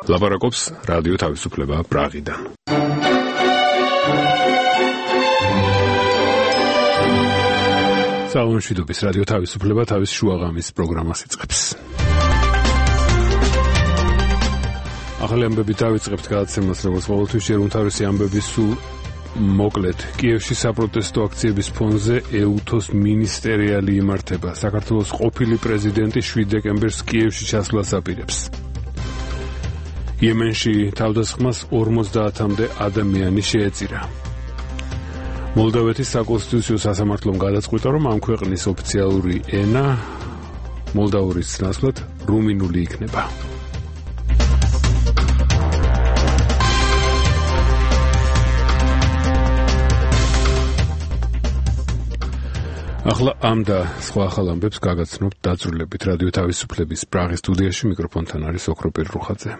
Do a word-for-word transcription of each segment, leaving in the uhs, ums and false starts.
ლაპარაკობს რადიო თავისუფლება პრაღიდან. საუნშვიდობის რადიო თავისუფლება თავის შუაღამის პროგრამას იწყებს. ახალი ამბები დავიწყებთ გადაცემას, როგორც ყოველთვის ჯერ უმთავრესი ამბები სულ მოკლედ. კიევში საპროტესტო აქციების ფონზე ეუთოს მინისტერიალი იმართება. საქართველოს ყოფილი პრეზიდენტი შვიდ დეკემბერს კიევში ჩასვლას აპირებს. იემენში თავდასხმას ორმოცდაათამდე ადამიანი შეეწირა. მოლდავეთის საკონსტიტუციო სასამართლომ გადაწყვიტა, რომ ამ ქვეყნის ოფიციალური ენა მოლდავურის ნაცვლად რუმინული იქნება. ახლა ამ და სხვა ახალ ამბებს გაგაცნობთ დაწვრილებით რადიო თავისუფლების პრაღის სტუდიაში. მიკროფონთან არის ოქროპირ რუხაძე.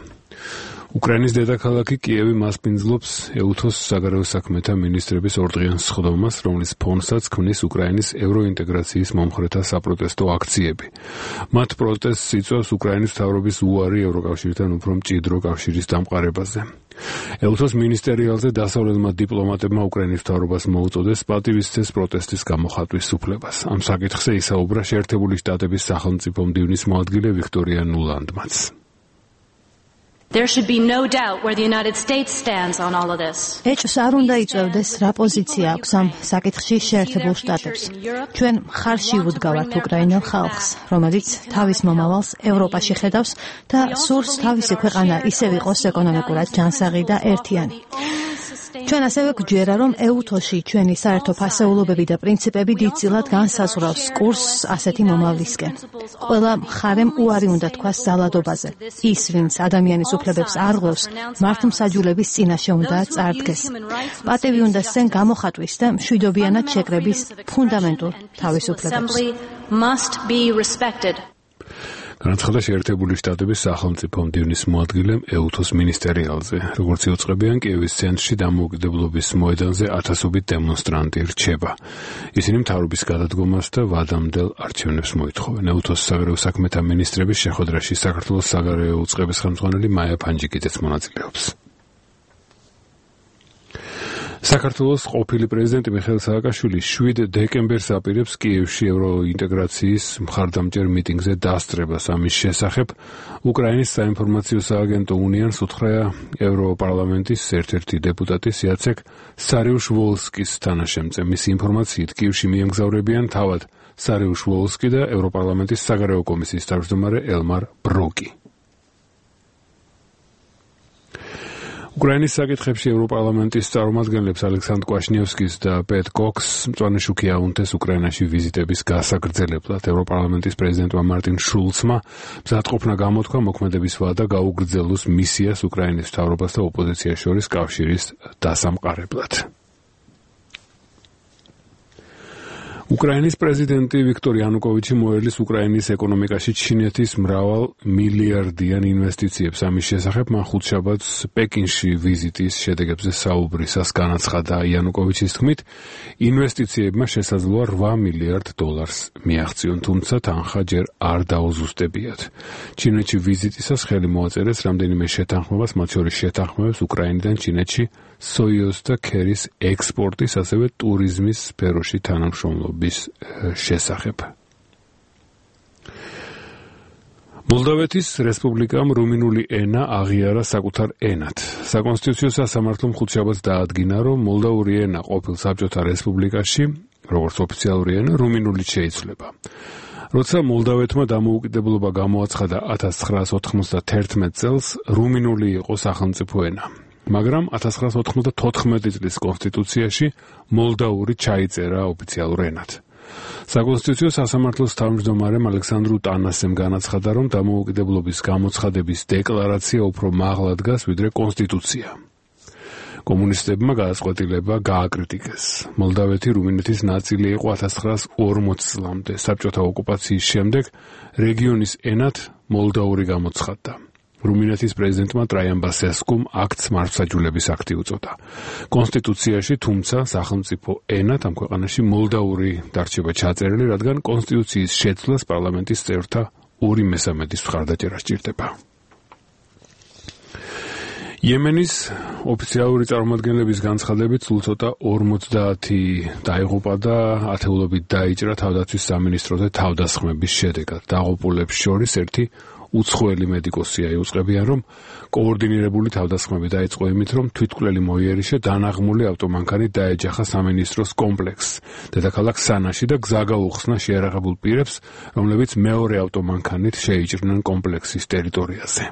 უკრაინის დედაქალაქი კიევი მასპინძლობს ეუთოს საგარეო საქმეთა მინისტრების ორდღიან სხდომას, რომლის ფონსაც ქმნის უკრაინის ევროინტეგრაციის მომხრეთა საპროტესტო აქციები. მათ პროტესტს იწვევს უკრაინის მთავრობის უარი ევროკავშირთან უფრო მჭიდრო კავშირის დამყარებაზე. ეუთოს მინისტერიალზე დასავლელმა დიპლომატებმა უკრაინის მთავრობას მოუწოდეს პატივისცეს პროტესტის გამოხატვის უფლებას. ამ საკითხზე ისაუბრა შეერთებული შტატების სახელმწიფო მდივნის მოადგილე ვიქტორია ნულანდმაც. There should be no doubt where the United States stands on all of this. ეჭვს არ უნდა იწევდეს რა პოზიცია აქვს ამ საკითხში შეერთებულ შტატებს. ჩვენ მხარში ვუდგავართ უკრაინელ ხალხს, რომელიც თავის მომავალს ევროპაში ხედავს და სურს თავისი ქვეყანა ისევ იყოს ეკონომიკურად ჯანსაღი და ერთიანი. ჩვენ ასევე გვჯერა, რომ ეუთოში ჩვენი საერთო ფასეულობები და პრინციპები დიდწილად განსაზღვრავს კურსს ასეთი მომავლისკენ. ყველა მხარემ უარი უნდა თქვას ძალადობაზე. ის, ვინც ადამიანის უფლებებს არღვევს, მართლმსაჯულების წინაშე უნდა წარდგეს. პატივი უნდა სცენ გამოხატვის და მშვიდობიანად შეკრების ფუნდამენტურ თავისუფლებებს. განაცხადა შეერთებული შტატების სახელმწიფო მდივნის მოადგილემ ეუთოს მინისტერიალზე. როგორც იუწყებიან, კიევის ცენტრში დამოუკიდებლობის მოედანზე ათასობით დემონსტრანტი რჩება. ისინი მთავრობის გადადგომას და ვადამდელ არჩევნებს მოითხოვენ. ეუთოს საგარეო საქმეთა მინისტრების შეხვედრაში საქართველოს საგარეო უწყების ხელმძღვანელი მაია ფანჯიკიძეც მონაწილეობს. საქართველოს ყოფილი პრეზიდენტი მიხეილ სააკაშვილი შვიდ დეკემბერს აპირებს კიევში ევროინტეგრაციის მხარდამჭერ მიტინგზე დასწრებას. ამის შესახებ უკრაინის საინფორმაციო სააგენტო უნიანს უთხრა ევროპარლამენტის ერთ-ერთი დეპუტატი იაცეკ სარიუშ-ვოლსკის თანაშემწე. მისი ინფორმაციით კიევში მიემგზავრებიან თავად სარიუშ-ვოლსკი და ევროპარლამენტის საგარეო კომისიის თავმჯდომარე ელმარ ბროკი. უკრაინის საკითხებში ევროპარლამენტის წარმომადგენლებს ალექსანდრ კვაშნიევსკის და პეტ კოქს მწვანე შუქი აუნთეს უკრაინაში ვიზიტების გასაგრძელებლად. ევროპარლამენტის პრეზიდენტმა მარტინ შულცმა მზადყოფნა გამოთქვა მოქმედების ვადა გაუგრძელოს მისიას უკრაინის მთავრობას და ოპოზიციას შორის კავშირის დასამყარებლად. უკრაინის პრეზიდენტი ვიქტორ იანუკოვიჩი მოერლის უკრაინის ეკონომიკაში ჩინეთის მრავალ მილიარდიან ინვესტიციებს. ამის შესახებ მან ხუთშაბათს პეკინში ვიზიტის შედეგებზე საუბრისას განაცხადა. იანუკოვიჩის თქმით, ინვესტიციებმა შესაძლოა რვა მილიარდ დოლარს მიაღწიონ, თუმცა თანხა ჯერ არ დაუზუსტებიათ. ჩინეთში ვიზიტისას ხელი მოაწერეს რამდენიმე შეთანხმებას, მათ შორის შეთანხმებებს უკრაინიდან ჩინეთში სოიოს და ქერის ექსპორტის, ასევე ტურიზმის სფეროში თანამშრომლობის შესახებ. მოლდავეთის რესპუბლიკამ რუმინული ენა აღიარა საკუთარ ენად. საკონსტიტუციო სასამართლომ ხუთშაბათს დაადგინა, რომ მოლდავური ენა ყოფილ საბჭოთა რესპუბლიკაში, როგორც ოფიციალური ენა, რუმინულით შეიცვლება. როცა მოლდავეთმა დამოუკიდებლობა გამოაცხადა ათას ცხრაას ოთხმოცდათერთმეტ წელს, რუმინული იყო სახელმწიფო ენა. მაგრამ ათას ცხრაას ოთხმოცდათოთხმეტი წლის კონსტიტუციაში მოლდაური ჩაიწერა ოფიციალურ ენად. საკონსტიტუციო სასამართლოს თავმჯდომარემ ალექსანდრ ტანასემ განაცხადა, რომ დამოუკიდებლობის გამოცხადების დეკლარაცია უფრო მაღლა დგას, ვიდრე კონსტიტუცია. კომუნისტებმა გადაწყვეტილება გააკრიტიკეს. მოლდავეთი რუმინეთის ნაწილი იყო ათას ცხრაას ორმოცი წლამდე. საბჭოთა ოკუპაციის შემდეგ რეგიონის ენად მოლდაური გამოცხადდა. რუმინეთის პრეზიდენტმა ტრაიან ბასესკუმ აქტს მართლმსაჯულების აქტი უწოდა. კონსტიტუციაში, თუმცა, სახელმწიფო ენად ამ ქვეყანაში მოლდაური დარჩება ჩაწერილი, რადგან კონსტიტუციის შეცვლას პარლამენტის წევრთა ორი მესამედის მხარდაჭერა სჭირდება. იემენის ოფიციალური წარმომადგენლების განცხადებით სულ ცოტა ორმოცდაათი დაიღუპა და ათეულობით დაიჭრა თავდაცვის სამინისტროზე თავდასხმების შედეგად. დაღუპულებს შორის ერთი უცხოელი მედიკოსია იუწყებიან, რომ კოორდინირებული თავდასხმები დაიწყო იმით, რომ თვითმკვლელი მოიერიშე დანაღმული ავტომანქანით დაეჯახა სამინისტროს კომპლექსს დედაქალაქ სანაში და გზა გაუხსნა შეიარაღებულ პირებს, რომლებიც მეორე ავტომანქანით შეიჭრნენ კომპლექსის ტერიტორიაზე.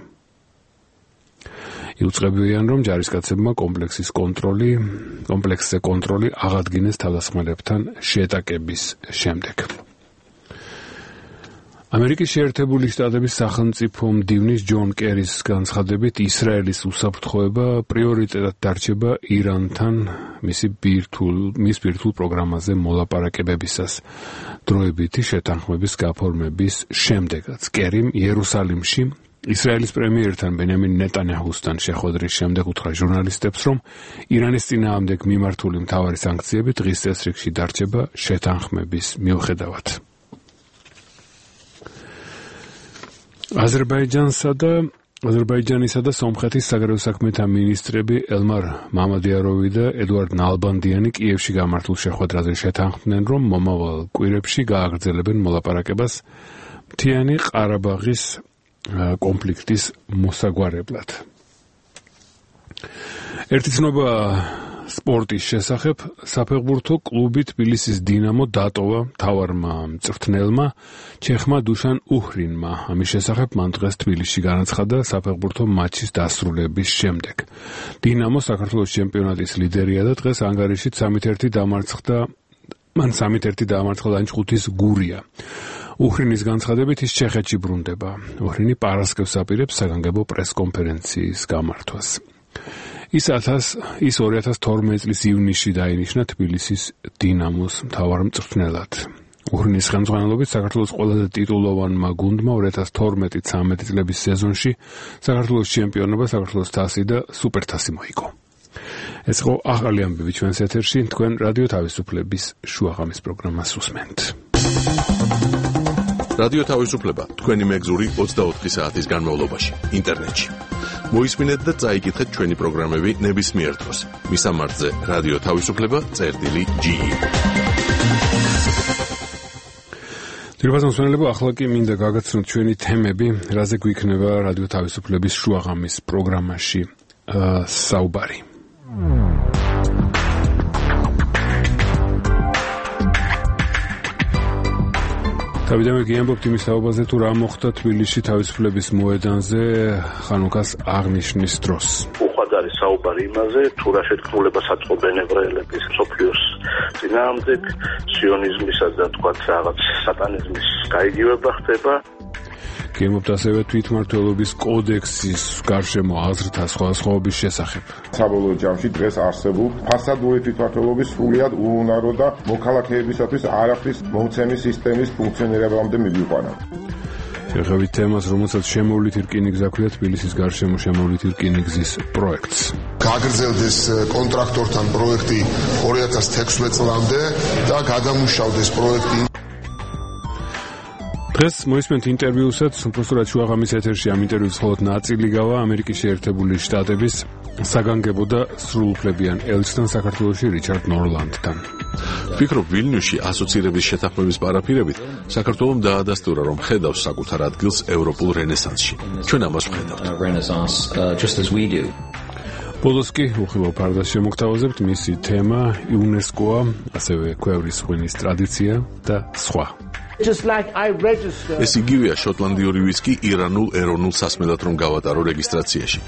იუწყებიან, რომ ჯარისკაცებმა კომპლექსის კონტროლი, კომპლექსზე კონტროლი აღადგინეს თავდასხმელებთან შეტაკების შემდეგ. ამერიკის შეერთებული შტატების სახელმწიფო მდივნის ჯონ კერის განცხადებით ისრაელის უსაფრთხოება პრიორიტეტად დარჩება ირანთან მისი ბირთულ მის ბირთულ პროგრამაზე მოლაპარაკებებისას დროებითი შეთანხმების გაფორმების შემდეგაც. კერიმ იერუსალიმში ისრაელის პრემიერთან ბენიამინ ნეტანიაჰუსთან შეხვედრის შემდეგ უთხრა ჟურნალისტებს, რომ ირანის წინააღმდეგ მიმართული მთავარი სანქციები დღის წესრიგში დარჩება შეთანხმების მიუხედავად. აზერბაიჯანსა და აზერბაიჯანისა და სომხეთის საგარეო საქმეთა მინისტრები ელმარ მამადიაროვი და ედუარდ ნალბანდიანი კიევში გამართულ შეხვედრაზე შეთანხმდნენ, რომ მომავალ კვირებში გააგრძელებენ მოლაპარაკებას მთიანი ყარაბაღის კონფლიქტის მოსაგვარებლად. ერთი ცნობა სპორტის შესახებ საფეხბურთო კლუბი თბილისის დინამო დატოვა მთავარმა მწვრთნელმა ჩეხმა დუშან უჰრინმა. ამის შესახებ მან დღეს თბილისში განაცხადა საფეხბურთო მატჩის დასრულების შემდეგ. დინამო საქართველოს ჩემპიონატის ლიდერია და დღეს ანგარიშით სამით ერთი დამარცხდა მან სამით ერთი დაამარცხა ლანჩხუთის გურია. უჰრინის განცხადებით ის ჩეხეთში ბრუნდება. უჰრინი პარასკევს აპირებს საგანგებო პრესკონფერენციის გამართვას. ის ის ორი ათას თორმეტი წლის ივნისში დაინიშნა თბილისის დინამოს მთავარ მწვრთნელად. უჰრინის ხელმძღვანელობით საქართველოს ყველაზე ტიტულოვანმა გუნდმა ორი ათას თორმეტი ცამეტი წლების სეზონში საქართველოს ჩემპიონობა, საქართველოს თასი და სუპერთასი მოიგო. ეს იყო ახალი ამბები ჩვენს ეთერში, თქვენ რადიო თავისუფლების შუაღამის პროგრამას უსმენთ. რადიო თავისუფლება თქვენი მეგზური ოცდაოთხი საათის განმავლობაში ინტერნეტში. მოისმინეთ და წაიკითხეთ ჩვენი პროგრამები ნებისმიერ დროს. მისამართზე რადიო თავისუფლება წერტილი ჯი. ძირფას მოსმენელებო, ახლა კი მინდა გაგაცნოთ ჩვენი თემები, რაზე გვიქნება რადიო თავისუფლების შუაღამის პროგრამაში საუბარი. თავიდანვე გიამბობთ იმის თაობაზე, თუ რა მოხდა თბილისში თავისუფლების მოედანზე ხანუქას აღნიშნის დროს. უხვად არის საუბარი იმაზე, თუ რა შეთქმულებას აწყობენ ებრაელების მსოფლიოს წინააღმდეგ, სიონიზმისა და თქვათ რაღაც სატანიზმის გაიგივება ხდება. გიამბობთ ასევე თვითმმართველობის კოდექსის გარშემო აზრთა სხვადასხვაობის შესახებ. საბოლოო ჯამში დღეს არსებულ ფასადური თვითმმართველობის სრულიად უუნარო და მოქალაქეებისათვის არაფრის მომცემის სისტემის ფუნქციონირებამდე მივიყვანა. შეხებით თემას, რომელსაც შემოვლით რკინიგზა ჰქვია თბილისის გარშემო შემოვლით რკინიგზის პროექტს. გაგრძელდეს კონტრაქტორთან პროექტი ორი ათას თექვსმეტ წლამდე და გადამუშავდეს პროექტი. დღეს მოისმენთ ინტერვიუსაც, უბრალოდ შუაღამის ეთერში ამ ინტერვიუს მხოლოდ ნაწილი გავა ამერიკის შეერთებული შტატების საგანგებო და სრულუფლებიან ელჩთან საქართველოში რიჩარდ ნორლანდთან. ვფიქრობ, ვილნიუსში ასოცირების შეთანხმების პარაფირებით საქართველომ დაადასტურა, რომ ხედავს საკუთარ ადგილს ევროპულ რენესანსში. ჩვენ ამას ვხედავთ. ბოლოს კი უხილავ ფარდას შემოგთავაზებთ, მისი თემა იუნესკოა, ასევე ქვევრის ღვინის ტრადიცია და სხვა. ეს იგივეა შოტლანდიური ვისკი ირანულ ეროვნულ სასმელად რომ გავატარო რეგისტრაციაში.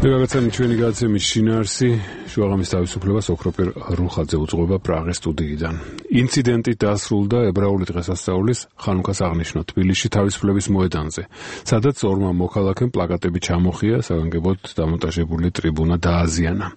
მეგაგაცანი ჩვენი გადაცემის შინაარსი შუაღამის თავისუფლებას ოქროპერ რუხაძე უძღვება პრაღის სტუდიიდან. ინციდენტი დასრულდა ებრაული დღესასწაულის ხანუქას აღნიშვნა თბილისში თავისუფლების მოედანზე, სადაც ორმა მოქალაქემ პლაკატები ჩამოხია, საგანგებოდ დამონტაჟებული ტრიბუნა დააზიანა.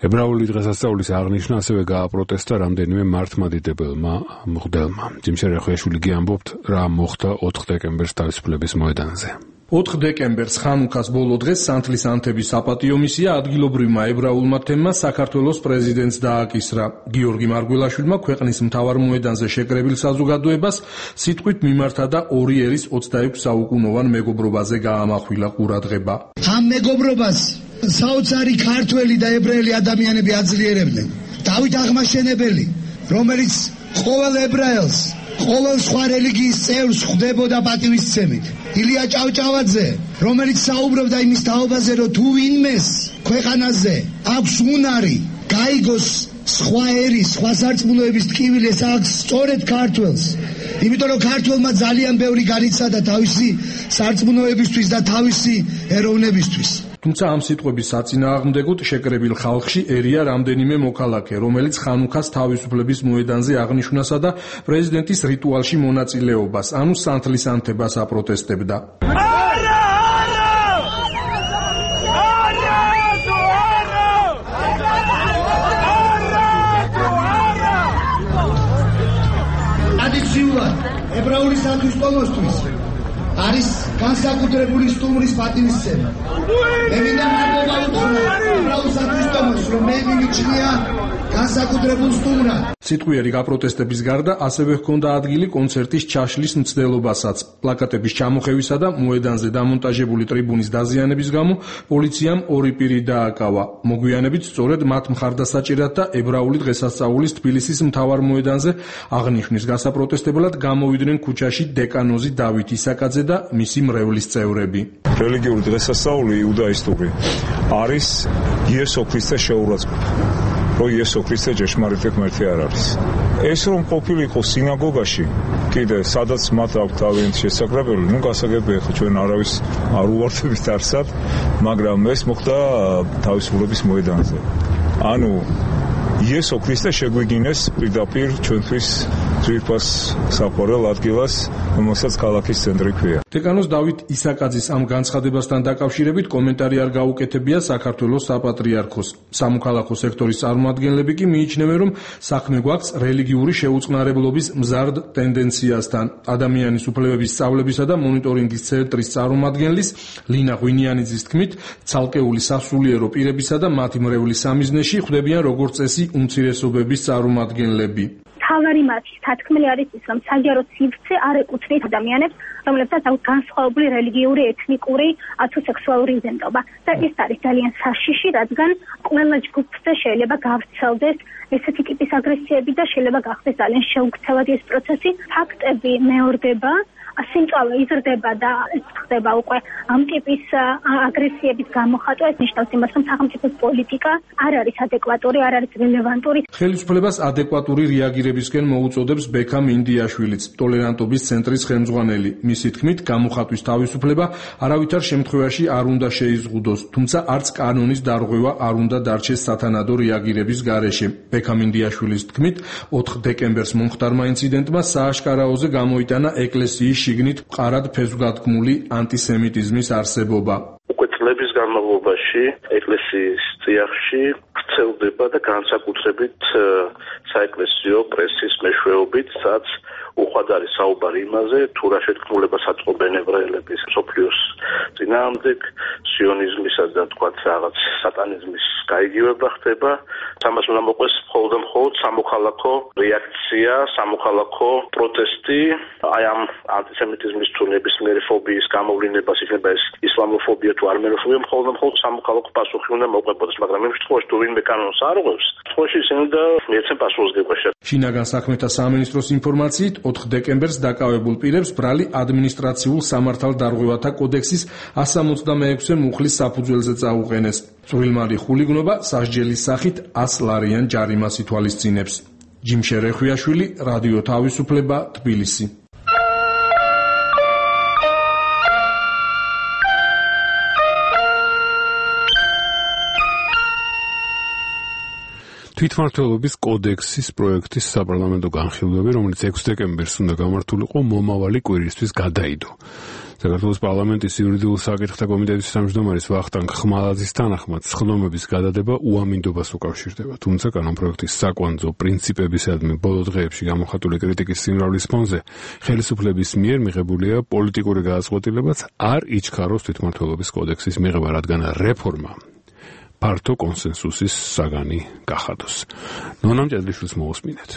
ებრაული დღესასწაულის აღნიშვნა ასევე გააპროტესტა რამდენიმე მართლმადიდებელმა მღვდელმა. ჯიმშე რეხვიაშვილი გიამბობთ, რა მოხდა ოთხ დეკემბერს თავისუფლების მოედანზე. ოთხ დეკემბერს ხანუქას ბოლო დღეს სანთლის ანთების საპატიო მისია ადგილობრივმა ებრაულმა თემმა საქართველოს პრეზიდენტს დააკისრა. გიორგი მარგველაშვილმა ქვეყნის მთავარ მოედანზე შეკრებილ საზოგადოებას სიტყვით მიმართა და ორი ერის ოცდაექვსი საუკუნოვან მეგობრობაზე გაამახვილა ყურადღება. ამ მეგობრობას საოცარი ქართველი და ებრაელი ადამიანები აძლიერებდნენ. დავით აღმაშენებელი, რომელიც ყოველ ებრაელს, ყოველ სხვა რელიგიის წევრს ხვდებოდა პატივისცემით. ილია ჭავჭავაძე, რომელიც საუბრობდა იმის თაობაზე, რომ თუ ვინმეს ქვეყანაზე აქვს უნარი, გაიგოს სხვა ერის, სხვა სარწმუნოების ტკივილი, ეს აქვს სწორედ ქართველს. იმიტომ რომ ქართველმა ძალიან ბევრი განიცადა თავისი სარწმუნოებისთვის და თავისი ეროვნებისთვის. თუმცა ამ სიტყვების საწინააღმდეგოდ შეკრებილ ხალხში ერია რამდენიმე მოქალაქე, რომელიც ხანუქას თავისუფლების მოედანზე აღნიშვნასა და პრეზიდენტის რიტუალში მონაწილეობას, ანუ სანთლის ანთებას აპროტესტებდა. ტრადიციულად ებრაული საქართველოსთვის არის განსაკუთრებული სტუმრის პატივისცემა. მე მინდა მადლობა უთხრა ებრაულ საქართველოს, რომ მე მიმიჩნია განსაკუთრებულ სტუმრად. სიტყვიერი გაპროტესტების გარდა ასევე ჰქონდა ადგილი კონცერტის ჩაშლის მცდელობასაც. პლაკატების ჩამოხევისა და მოედანზე დამონტაჟებული ტრიბუნის დაზიანების გამო პოლიციამ ორი პირი დააკავა. მოგვიანებით სწორედ მათ მხარდასაჭერად და ებრაული დღესასწაულის თბილისის მთავარ მოედანზე აღნიშვნის გასაპროტესტებლად გამოვიდნენ ქუჩაში დეკანოზი დავით ისაკაძე და მისი მრევლის წევრები. რელიგიური დღესასწაული იუდაისტური არის იესო ქრისტეს შეურაცხყოფა. რომ იესო ქრისტე ჭეშმარიტი ღმერთი არ არის. ეს რომ ყოფილიყო სინაგოგაში, კიდე სადაც მათ აქვს თავიანთი შესაძლებელი, ნუ გასაგებია ხო ჩვენ არავის არ უვარდებით არსად, მაგრამ ეს მოხდა თავისუფლების მოედანზე. ანუ იესო ქრისტე შეგვიგინეს პირდაპირ ჩვენთვის ძვირფას საყვარელ ადგილას, რომელსაც ქალაქის ცენტრი ქვია. დეკანოზ დავით ისაკაძის ამ განცხადებასთან დაკავშირებით კომენტარი არ გაუკეთებია საქართველოს საპატრიარქოს. სამოქალაქო სექტორის წარმომადგენლები კი მიიჩნევენ, რომ საქმე გვაქვს რელიგიური შეუწყნარებლობის მზარდ ტენდენციასთან. ადამიანის უფლებების სწავლებისა და მონიტორინგის ცენტრის წარმომადგენლის ლინა ღვინიანიძის თქმით, ცალკეული სასულიერო პირებისა და მათი მრევლის სამიზნეში ხვდებიან როგორც წესი უმცირესობების წარმომადგენლები. თავარი მათი თათქმელი არის ის, რომ საჯარო სივრცე არ ეკუთვნით ადამიანებს, რომლებსაც აქვს განსხვავებული რელიგიური, ეთნიკური თუ სექსუალური იდენტობა. და ეს არის ძალიან საშიში, რადგან ყველა ჯგუფზე შეიძლება გავრცელდეს ესეთი ტიპის აგრესიები და შეიძლება გახდეს ძალიან შეუქცევადი ეს პროცესი. ფაქტები მეორდება, სიმწავე იზრდება და ეს ხდება უკვე ამ ტიპის აგრესიების გამოხატვა. ეს ნიშნავს იმას, რომ სახელმწიფოს პოლიტიკა არ არის ადეკვატური, არ არის რელევანტური. ხელისუფლებას ადეკვატური რეაგირებისკენ მოუწოდებს ბექამ ინდიაშვილიც, ტოლერანტობის ცენტრის ხელმძღვანელი. მისი თქმით, გამოხატვის თავისუფლება არავითარ შემთხვევაში არ უნდა შეიზღუდოს, თუმცა არც კანონის დარღვევა არ უნდა დარჩეს სათანადო რეაგირების გარეშე. ბექამ ინდიაშვილის თქმით, ოთხ დეკემბერს მომხდარმა ინციდენტმა სააშკარაოზე გამოიტანა ეკლესიის შიგნით მყარად ფესვგადგმული ანტისემიტიზმის არსებობა. უკვე წლების განმავლობაში ეკლესიის წიაღში ვრცელდება და განსაკუთრებით საეკლესიო პრესის მეშვეობით, სადაც უხვად არის საუბარი იმაზე, თუ რა შეთქმულებას აწყობენ ებრაელების მსოფლიოს წინააღმდეგ, სიონიზმისა და თქვათ რაღაც სატანიზმის გაიგივება ხდება. ამას უნდა მოყვეს მხოლოდ და მხოლოდ სამოქალაქო რეაქცია, სამოქალაქო პროტესტი, აი ამ ანტისემიტიზმის თუ ნებისმიერი ფობიის გამოვლინებას, იქნება ეს ისლამოფობია თუ არმენოფობია, მხოლოდ და მხოლოდ სამოქალაქო პასუხი უნდა მოყვებოდეს, მაგრამ იმ შემთხვევაში თუ ვინმე კანონს არ უღებს, შემთხვევაში ისინი და მიეცენ პასუხისგება. შინაგან საქმეთა სამინისტროს ინფორმაციით, ოთხ დეკემბერს დაკავებულ პირებს ბრალი ადმინისტრაციულ სამართალდარღვევათა კოდექსის εκατს სამოცდამეექვსე მუხლის საფუძველზე წაუყენეს. წვრილმალი ხულიგნობა სასჯელის სახით ას ლარიან ჯარიმას ითვალისწინებს. ჯიმშე რეხვიაშვილი, რადიო თავისუფლება, თბილისი. თვითმმართველობის კოდექსის პროექტის საპარლამენტო განხილვები, რომელიც ექვსი დეკემბერს უნდა გამართულიყო, მომავალი კვირისთვის გადაიდო. საქართველოს პარლამენტის იურიდიულ საკითხთა კომიტეტის თავმჯდომარის ვახტანგ ხმალაძის თანახმად სხდომების გადადება უამინდობას უკავშირდება, თუმცა კანონპროექტის საკვანძო პრინციპებისადმი ბოლო დღეებში გამოხატული კრიტიკის სიმრავლის ფონზე ხელისუფლების მიერ მიღებულია პოლიტიკური გადაწყვეტილებაც არ იჩქაროს თვითმმართველობის კოდექსის მიღება, რადგან რეფორმა ფართო კონსენსუსის საგანი გახადოს. ნონა მჭედლიშვილს მოусმინეთ.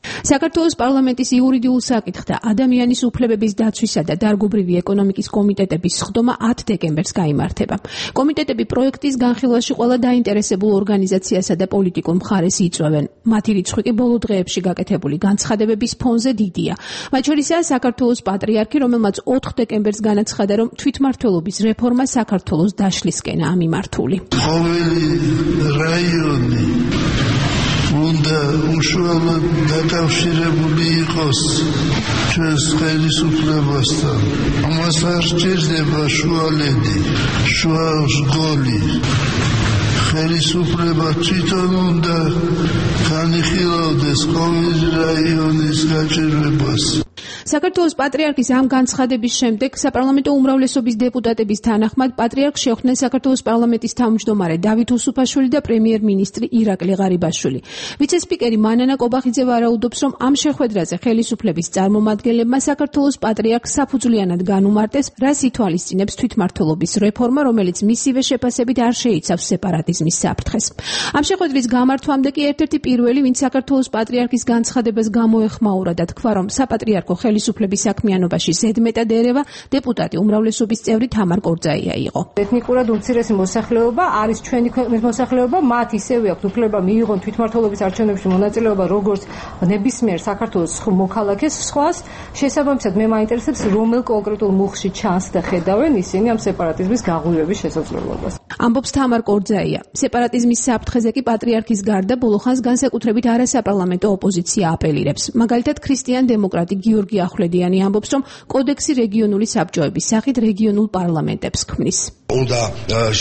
საქართველოს პარლამენტის იურიდიულ საკითხთა ადამიანის უფლებების დაცვისა და დარგობრივი ეკონომიკის კომიტეტების სხდომა ათი დეკემბერს გაიმართება. კომიტეტები პროექტის განხილვაში ყველა დაინტერესებულ ორგანიზაციასა და პოლიტიკურ მხარეს იწვევენ. მათი რიცხვი კი ბოლო დღეებში გაკეთებული განცხადებების ფონზე დიდია. მათ შორისაა საქართველოს პატრიარქი, რომელმაც ოთხი დეკემბერს განაცხადა, რომ თვითმმართველობის რეფორმა საქართველოს დაშლისკენაა მიმართული. ყოველი რაიონი უნდა უშუალოდ დაკავშირებული იყოს ჩვენს ხელისუფლებასთან. ამას არ სჭირდება შუალედი, შუა სგოლი. ხელისუფლება თვითონ უნდა განიხილავდეს ყოველი რაიონის გაჭირვებას. საქართველოს პატრიარქის ამ განცხადების შემდეგ საპარლამენტო უმრავლესობის დეპუტატების თანახმად პატრიარქს შეხვდნენ საქართველოს პარლამენტის თავმჯდომარე დავით უსუფაშვილი და პრემიერ-მინისტრი ირაკლი ღარიბაშვილი. ვიცე-სპიკერი მანანა კობახიძე ვარაუდობს, რომ ამ შეხვედრაზე ხელისუფლების წარმომადგენლებმა საქართველოს პატრიარქს საფუძვლიანად განუმარტეს, რას ითვალისწინებს თვითმმართველობის რეფორმა, რომელიც მისივე შეფასებით არ შეიცავს სეპარატიზმის საფრთხეს. ამ შეხვედრის გამართვამდე კი ერთ-ერთი პირველი, ვინც საქართველოს პატრიარქის განცხადებას გამოეხმაურა და თქვა, რომ საპატრიარქო ხელისუფლების საქმიანობაში ზედმეტად ერევა, დეპუტატი უმრავლესობის წევრი თამარ კორძაია იყო. ეთნიკურად უმცირესი მოსახლეობა არის ჩვენი ქვეყნის მოსახლეობა, მათ ისევე აქვთ უფლება მიიღონ თვითმმართველობის არჩევნებში მონაწილეობა, როგორც ნებისმიერ საქართველოს მოქალაქეს. სხვას შესაბამისად მე მაინტერესებს, რომელ კონკრეტულ მუხში ჩანს და ხედავენ ისინი ამ სეპარატიზმის გაღვივების შესაძლებლობას. ამბობს თამარ კორძაია. სეპარატიზმის საფრთხეზე კი პატრიარქის გარდა ბოლო ხანს განსაკუთრებით არასაპარლამენტო ოპოზიცია აპელირებს. მაგალითად ქრისტიან დემოკრატი გიორგი ახვლედიანი ამბობს, რომ კოდექსი რეგიონული საბჭოების სახით რეგიონულ პარლამენტებს ქმნის. უნდა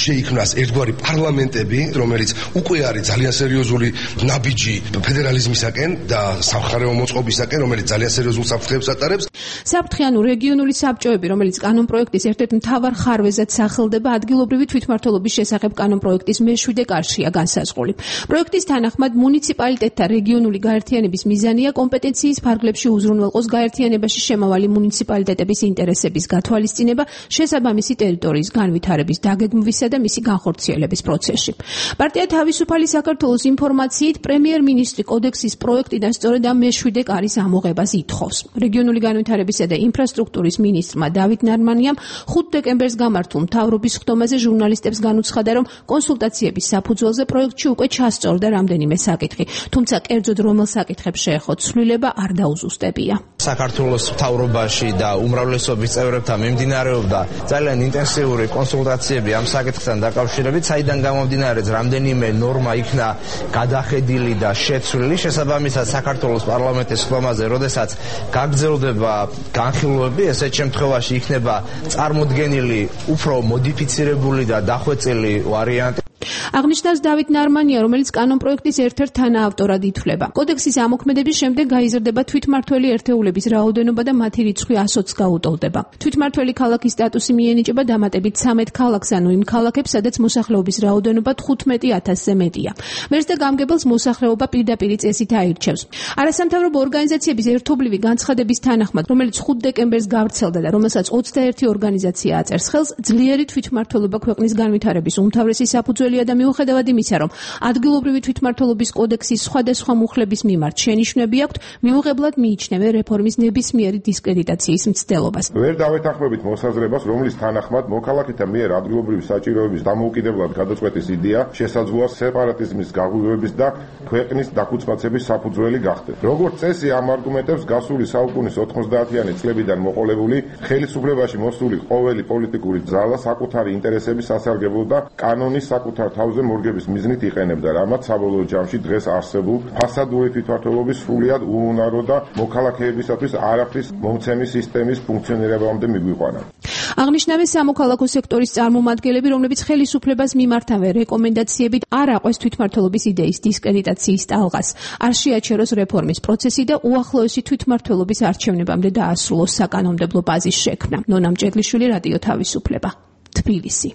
შეიქმნას ერთგვარი პარლამენტები, რომელიც უკვე არის ძალიან სერიოზული ნაბიჯი ფედერალიზმისაკენ და სამხარეო მოწყობისაკენ, რომელიც ძალიან სერიოზულ საფრთხეებს ატარებს. საფრთხე ანუ რეგიონული საბჭოები, რომელიც კანონპროექტის ერთ-ერთ მთავარ ხარვეზად სახელდება, ადგილობრივი თვითმმართველობის შესახებ კანონპროექტის მეშვიდე კარშია განსაზღვრული. პროექტის თანახმად მუნიციპალიტეტთა რეგიონული გაერთიანების მიზანია კომპეტენციის ფარგლებში უზრუნველყოს გაერთიანებაში შემავალი მუნიციპალიტეტების ინტერესების გათვალისწინება შესაბამისი ტერიტორიის განვითარების დაგეგმვისა და მისი განხორციელების პროცესში. პარტია თავისუფალი საქართველოს ინფორმაციით პრემიერ-მინისტრი კოდექსის პროექტიდან სწორედ ამ მეშვიდე კარის ამოღებას ითხოვს. რეგიონული განვითარებისა და ინფრასტრუქტურის მინისტრმა დავით ნარმანიამ ხუთი დეკემბერს გამართულ მთავრობის სხდომაზე ჟურნალისტებს განუცხადა, რომ კონსულტაციების საფუძველზე პროექტში უკვე ჩასწორდა რამდენიმე საკითხი, თუმცა კერძოდ რომელ საკითხებს შეეხო ცვლილება არ დაუზუსტებია. საქართველოს მთავრობაში და უმრავლესობის წევრებთან მიმდინარეობდა ძალიან ინტენსიური კონსულტაციები ამ საკითხთან დაკავშირებით, საიდან გამომდინარეც რამდენიმე ნორმა იქნა გადახედილი და შეცვლილი. შესაბამისად საქართველოს პარლამენტის სხდომაზე, როდესაც გაგრძელდება განხილვები, ესეთ შემთხვევაში იქნება წარმოდგენილი უფრო მოდიფიცირებული და დახვეწილი ვარიანტი. აღნიშნავს დავით ნარმანია, რომელიც კანონპროექტის ერთ-ერთ თანაავტორად ითვლება. კოდექსის ამოქმედების შემდეგ გაიზრდება თვითმმართველი ერთეულების რაოდენობა და მათი რიცხვი ასოც გაუტოლდება. თვითმმართველი ქალაქის სტატუსი მიენიჭება დამატებით ცამეტ ქალაქს, ანუ იმ ქალაქებს, სადაც მოსახლეობის რაოდენობა თხუთმეტი ათასზე მეტია. მერს და გამგებელს მოსახლეობა პირდაპირი წესით აირჩევს. არასამთავრობო ორგანიზაციების ერთობლივი განცხადების თანახმად, რომელიც ხუთი დეკემბერს გავრცელდა და რომელსაც ოცდაერთი ორგანიზაცია აწერს ხელს, ძლიერი თვითმმართველობა ქვეყნის განვითარების უმთავრესი საფუძველია და მიუხედავად იმისა, რომ ადგილობრივი თვითმმართველობის კოდექსის სხვადასხვა მუხლების მიმართ შენიშვნები აქვთ, მიუღებლად მიიჩნევენ რეფორმის ნებისმიერი დისკრედიტაციის მცდელობას. ვერ დავეთანხმებით მოსაზრებას, რომლის თანახმად მოქალაქეთა მიერ ადგილობრივი საჭიროების დამოუკიდებლად გადაწყვეტის იდეა შესაძლოა სეპარატიზმის გაღვივების და ქვეყნის დაქუცმაცების საფუძველი გახდეს. როგორც წესი, ამ არგუმენტებს გასული საუკუნის ოთხმოცდაათიანი წლებიდან მოყოლებული ხელისუფლებაში მოსული ყოველი პოლიტიკური ძალა საკუთარი ინტერესების სასარგებლოდ და კანონის საკუთარ თავზე მორგების მიზნით იყენებდა, რამაც საბოლოო ჯამში დღეს არსებულ ფასადური თვითმმართველობის სრულიად უუნარო და მოქალაქეებისათვის არაფრის მომცემი სისტემის ფუნქციონირებამდე მიგვიყვანა. აღნიშნავენ სამოქალაქო სექტორის წარმომადგენლები, რომლებიც ხელისუფლებას მიმართავენ რეკომენდაციებით არ აყვეს თვითმმართველობის იდეის დისკრედიტაციის ტალღას, არ შეაჩეროს რეფორმის პროცესი და უახლოესი თვითმმართველობის არჩევნებამდე დაასრულოს საკანონმდებლო ბაზის შექმნა. ნონა მჭედლიშვილი, რადიო თავისუფლება, თბილისი.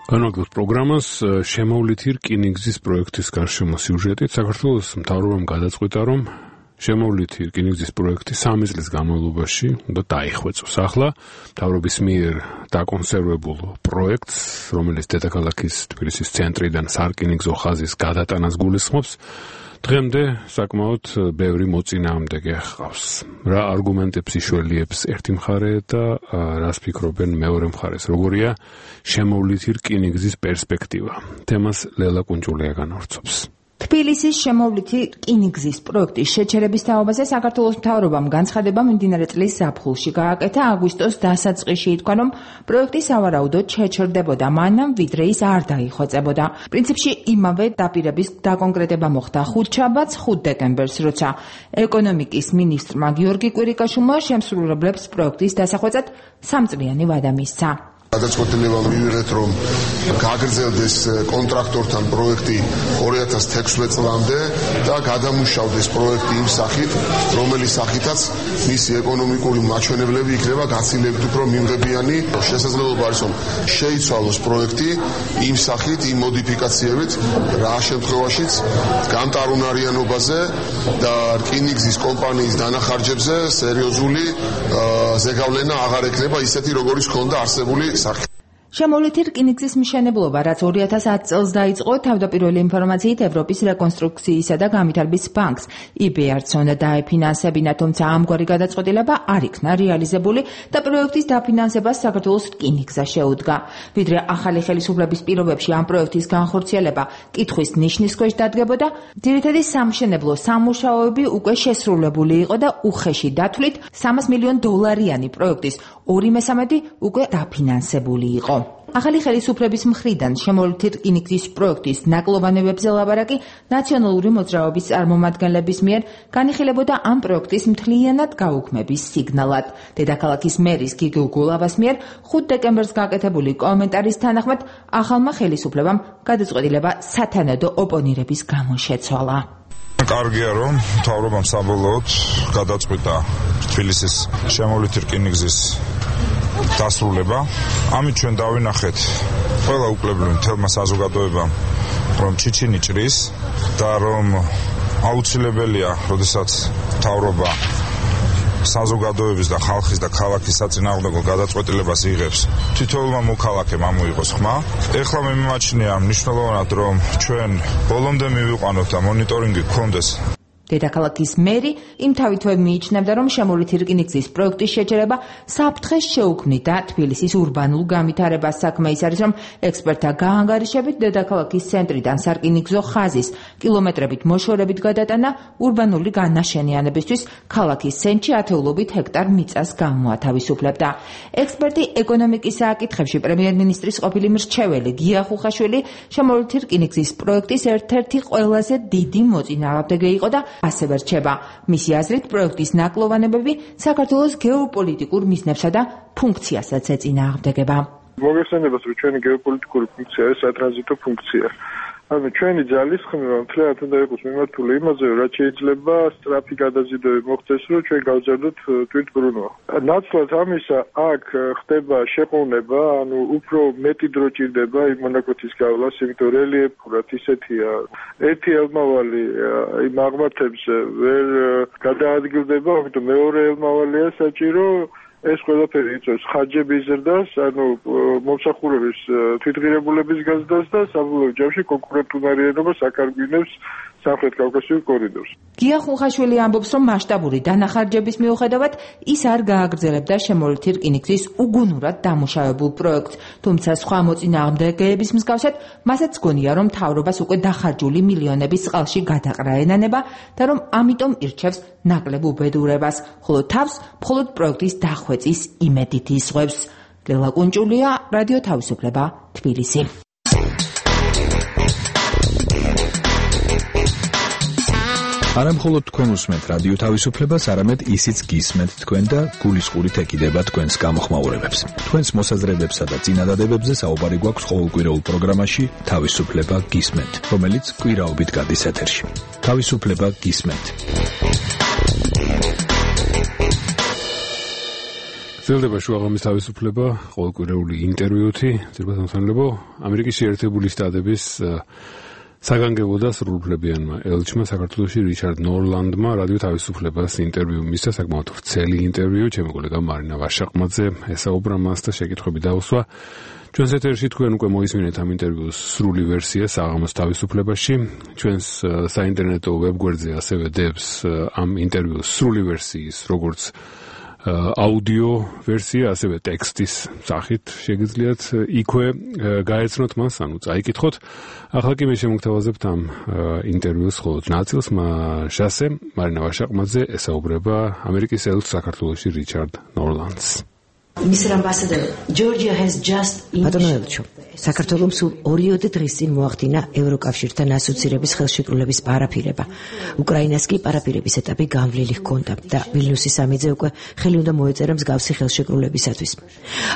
განვაგრძელოთ პროგრამას შემოვლითი რკინიგზის პროექტის გარშემო სიუჟეტით. საქართველოს მთავრობამ გადაწყვიტა, რომ შემოვლითი რკინიგზის პროექტი სამი წლის განმავლობაში უნდა დაიხვეწოს. ახლა მთავრობის მიერ დაკონსერვებულ პროექტს, რომელიც დედაქალაქის თბილისის ცენტრიდან სარკინიგზო ხაზის გადატანას გულისხმობს, დღემდე საკმაოდ ბევრი მოწინააღმდეგე ჰყავს. რა არგუმენტებს იშველიებს ერთი მხარე და რას ფიქრობენ მეორე მხარეს? როგორია შემოვლითი რკინიგზის პერსპექტივა? თემას ლელა კუნჭულია განავრცობს. თბილისის შემოვლითი რკინიგზის პროექტის შეჩერების თაობაზე საქართველოს მთავრობამ განცხადება მიმდინარე წლის ზაფხულში გააკეთა. აგვისტოს დასაწყისში ითქვა, რომ პროექტი სავარაუდოდ შეჩერდებოდა მანამ, ვიდრე ის არ დაიხვეწებოდა. პრინციპში იმავე დაპირების დაკონკრეტება მოხდა ხუთშაბათს, ხუთ დეკემბერს, როცა ეკონომიკის მინისტრმა გიორგი კვირიკაშვილმა შემსრულებლებს პროექტის დასახვეწად სამწლიანი ვადა მისცა. გადაწყვეტილება მივიღეთ, რომ გაგრძელდეს კონტრაქტორთან პროექტი ორი ათას თექვსმეტ წლამდე და გადამუშავდეს პროექტი იმ სახით, რომელი სახითაც მისი ეკონომიკური მაჩვენებლები იქნება გაცილებით უფრო მიმღებიანი. შესაძლებლობა არის, რომ შეიცვალოს პროექტი იმ სახით, იმ მოდიფიკაციებით, რა შემთხვევაშიც გამტარუნარიანობაზე და რკინიგზის კომპანიის დანახარჯებზე სერიოზული ზეგავლენა აღარ ექნება ისეთი, როგორიც ჰქონდა არსებული. შემოვლითი რკინიგზის მშენებლობა, რაც ორი ათას ათი წელს დაიწყო, თავდაპირველი ინფორმაციით ევროპის რეკონსტრუქციისა და განვითარების ბანკს ი ბე არ-ს უნდა დაეფინანსებინა, თუმცა ამგვარი გადაწყვეტილება არ იქნა რეალიზებული და პროექტის დაფინანსებას საქართველოს რკინიგზა შეუდგა. ვიდრე ახალი ხელისუფლების პირობებში ამ პროექტის განხორციელება კითხვის ნიშნის ქვეშ დადგებოდა, ძირითადი სამშენებლო სამუშაოები უკვე შესრულებული იყო და უხეში დათვლით სამას მილიონ დოლარიანი პროექტის ორი მესამედი უკვე დაფინანსებული იყო. ახალი ხელისუფლების მხრიდან შემოვლითი რკინიგზის პროექტის ნაკლოვანებებზე ლაბარაკი ნაციონალური მოძრაობის წარმომადგენლების მიერ განიხილებოდა ამ პროექტის მთლიანად გაუქმების სიგნალად. დედაქალაქის მერის გიგო გულავას მიერ ხუთ დეკემბერს გაკეთებული კომენტარის თანახმად ახალმა ხელისუფლებამ გადაწყვეტილება სათანადო ოპონირების გამო შეცვალა. კარგია, რომ მთავრობამ საბოლოოდ გადაწყვიტა თბილისის შემოვლითი რკინიგზის დასრულება. ამით ჩვენ დავინახეთ ყველა უკლებრივ მთელმა საზოგადოებამ, რომ ჩიჩინი ჭრის და რომ აუცილებელია, როდესაც მთავრობა საზოგადოების და ხალხის და ქალაქის საწინააღმდეგო გადაწყვეტილებას იღებს, თითოეულმა მოქალაქემ ამოიღოს ხმა. ეხლა მე მიმაჩნია მნიშვნელოვნად, რომ ჩვენ ბოლომდე მივიყვანოთ და მონიტორინგი გქონდეს. დედაქალაქის მერი იმთავითვე მიიჩნევდა, რომ შემოვლითი რკინიგზის პროექტის შეჩერება საფრთხეს შეუქმნიდა თბილისის ურბანულ განვითარებას. საქმე ის არის, რომ ექსპერტთა გაანგარიშებით დედაქალაქის ცენტრიდან სარკინიგზო ხაზის კილომეტრებით მოშორებით გადატანა ურბანული განაშენიანებისთვის ქალაქის ცენტრში ათეულობით ჰექტარ მიწას გამოათავისუფლებდა. ექსპერტი ეკონომიკის საკითხებში პრემიერ-მინისტრის ყოფილი მრჩეველი გია ხუხაშვილი შემოვლითი რკინიგზის პროექტის ერთ-ერთი ყველაზე დიდი მოწინააღმდეგე იყო და ასევე რჩება. მისი აზრით, პროექტის ნაკლოვანებები საქართველოს გეოპოლიტიკურ მიზნებსა და ფუნქციასაც ეწინააღმდეგება. მოგეხსენებათ, რომ ჩვენი გეოპოლიტიკური ფუნქცია არის სატრანზიტო ფუნქცია. ანუ ჩვენი ძალისხმევა მთლიანად უნდა იყოს მიმართული იმაზე, რაც შეიძლება სწრაფი გადაზიდვები მოხდეს, რომ ჩვენ გავზარდოთ თვითმბრუნვა. ნაცვლად ამისა, აქ ხდება შეყოვნება, ანუ უფრო მეტი დრო ჭირდება იმ მონაკვეთის გავლას, იმიტომ რელიეფურად ისეთია, ერთი ელმავალი იმ აღმართებს ვერ გადაადგილდება, ამიტომ მეორე ელმავალია საჭირო. ეს ყველაფერი იწვევს ხარჯების ზრდას, ანუ მომსახურების თვითღირებულების გაზრდას და საბოლოო ჯამში კონკურენტუნარიანობას აკარგვინებს სამხრეთ კავკასიურ კორიდორს. გია ხუხაშვილი ამბობს, რომ მასშტაბური დანახარჯების მიუხედავად ის არ გააგრძელებდა შემოვლითი რკინიგზის უგუნურად დამუშავებულ პროექტს, თუმცა სხვა მოწინააღმდეგეების მსგავსად მასაც გონია, რომ მთავრობას უკვე დახარჯული მილიონების წყალში გადაყრა ენანება და რომ ამიტომ ირჩევს ნაკლებ უბედურებას, ხოლო თავს მხოლოდ პროექტის დახვეწის იმედით იზღვევს. ლელა კუნჭულია, რადიო თავისუფლება, თბილისი. არა მხოლოდ თქვენ უსმენთ რადიო თავისუფლებას, არამედ ისიც გისმენთ თქვენ და გულისყურით ეკიდება თქვენს გამოხმაურებებს. თქვენს მოსაზრებებსა და წინადადებებზე საუბარი გვაქვს ყოველკვირეულ პროგრამაში თავისუფლება გისმენთ, რომელიც კვირაობით გადის ეთერში. თავისუფლება გისმენთ. გრძელდება შუაღამის თავისუფლება, ყოველკვირეული ინტერვიუთი, ძირითადად მოსამართლებო, ამერიკის შეერთებული შტატების საგანგებო და სრულუფლებიანმა ელჩმა საქართველოში რიჩარდ ნორლანდმა რადიო თავისუფლებას ინტერვიუ მისცა, საკმაოდ ვრცელი ინტერვიუ, ჩემი კოლეგა მარინა ვაშაყმაძე ესაუბრა მას და შეკითხვები დაუსვა. ჩვენს ეთერში თქვენ უკვე მოისმინეთ ამ ინტერვიუს სრული ვერსია საღამოს თავისუფლებაში. ჩვენს საინტერნეტო ვებგვერდზე ასევე დებს ამ ინტერვიუს სრული ვერსიის, როგორც აუდიო ვერსია, ასევე ტექსტის სახით შეგიძლიათ იქვე გაეცნოთ მას, ანუ წაიკითხოთ. ახლა კი მე შემოგთავაზებთ ამ ინტერვიუს მხოლოდ ნაწილს, მასზე მარინა ვაშაყმაძე ესაუბრება ამერიკის ელჩს საქართველოში რიჩარდ ნორლანდს. Mister Ambassador, Georgia has just ბატონო ელჩო, საქართველომ სულ ორიოდე დღის წინ მოახდინა ევროკავშირთან ასოცირების ხელშეკრულების პარაფირება. უკრაინას კი პარაფირების ეტაპი განვლილი ჰქონდა და ვილნიუსის სამიძე უკვე ხელი უნდა მოეწერა მსგავსი ხელშეკრულებისათვის.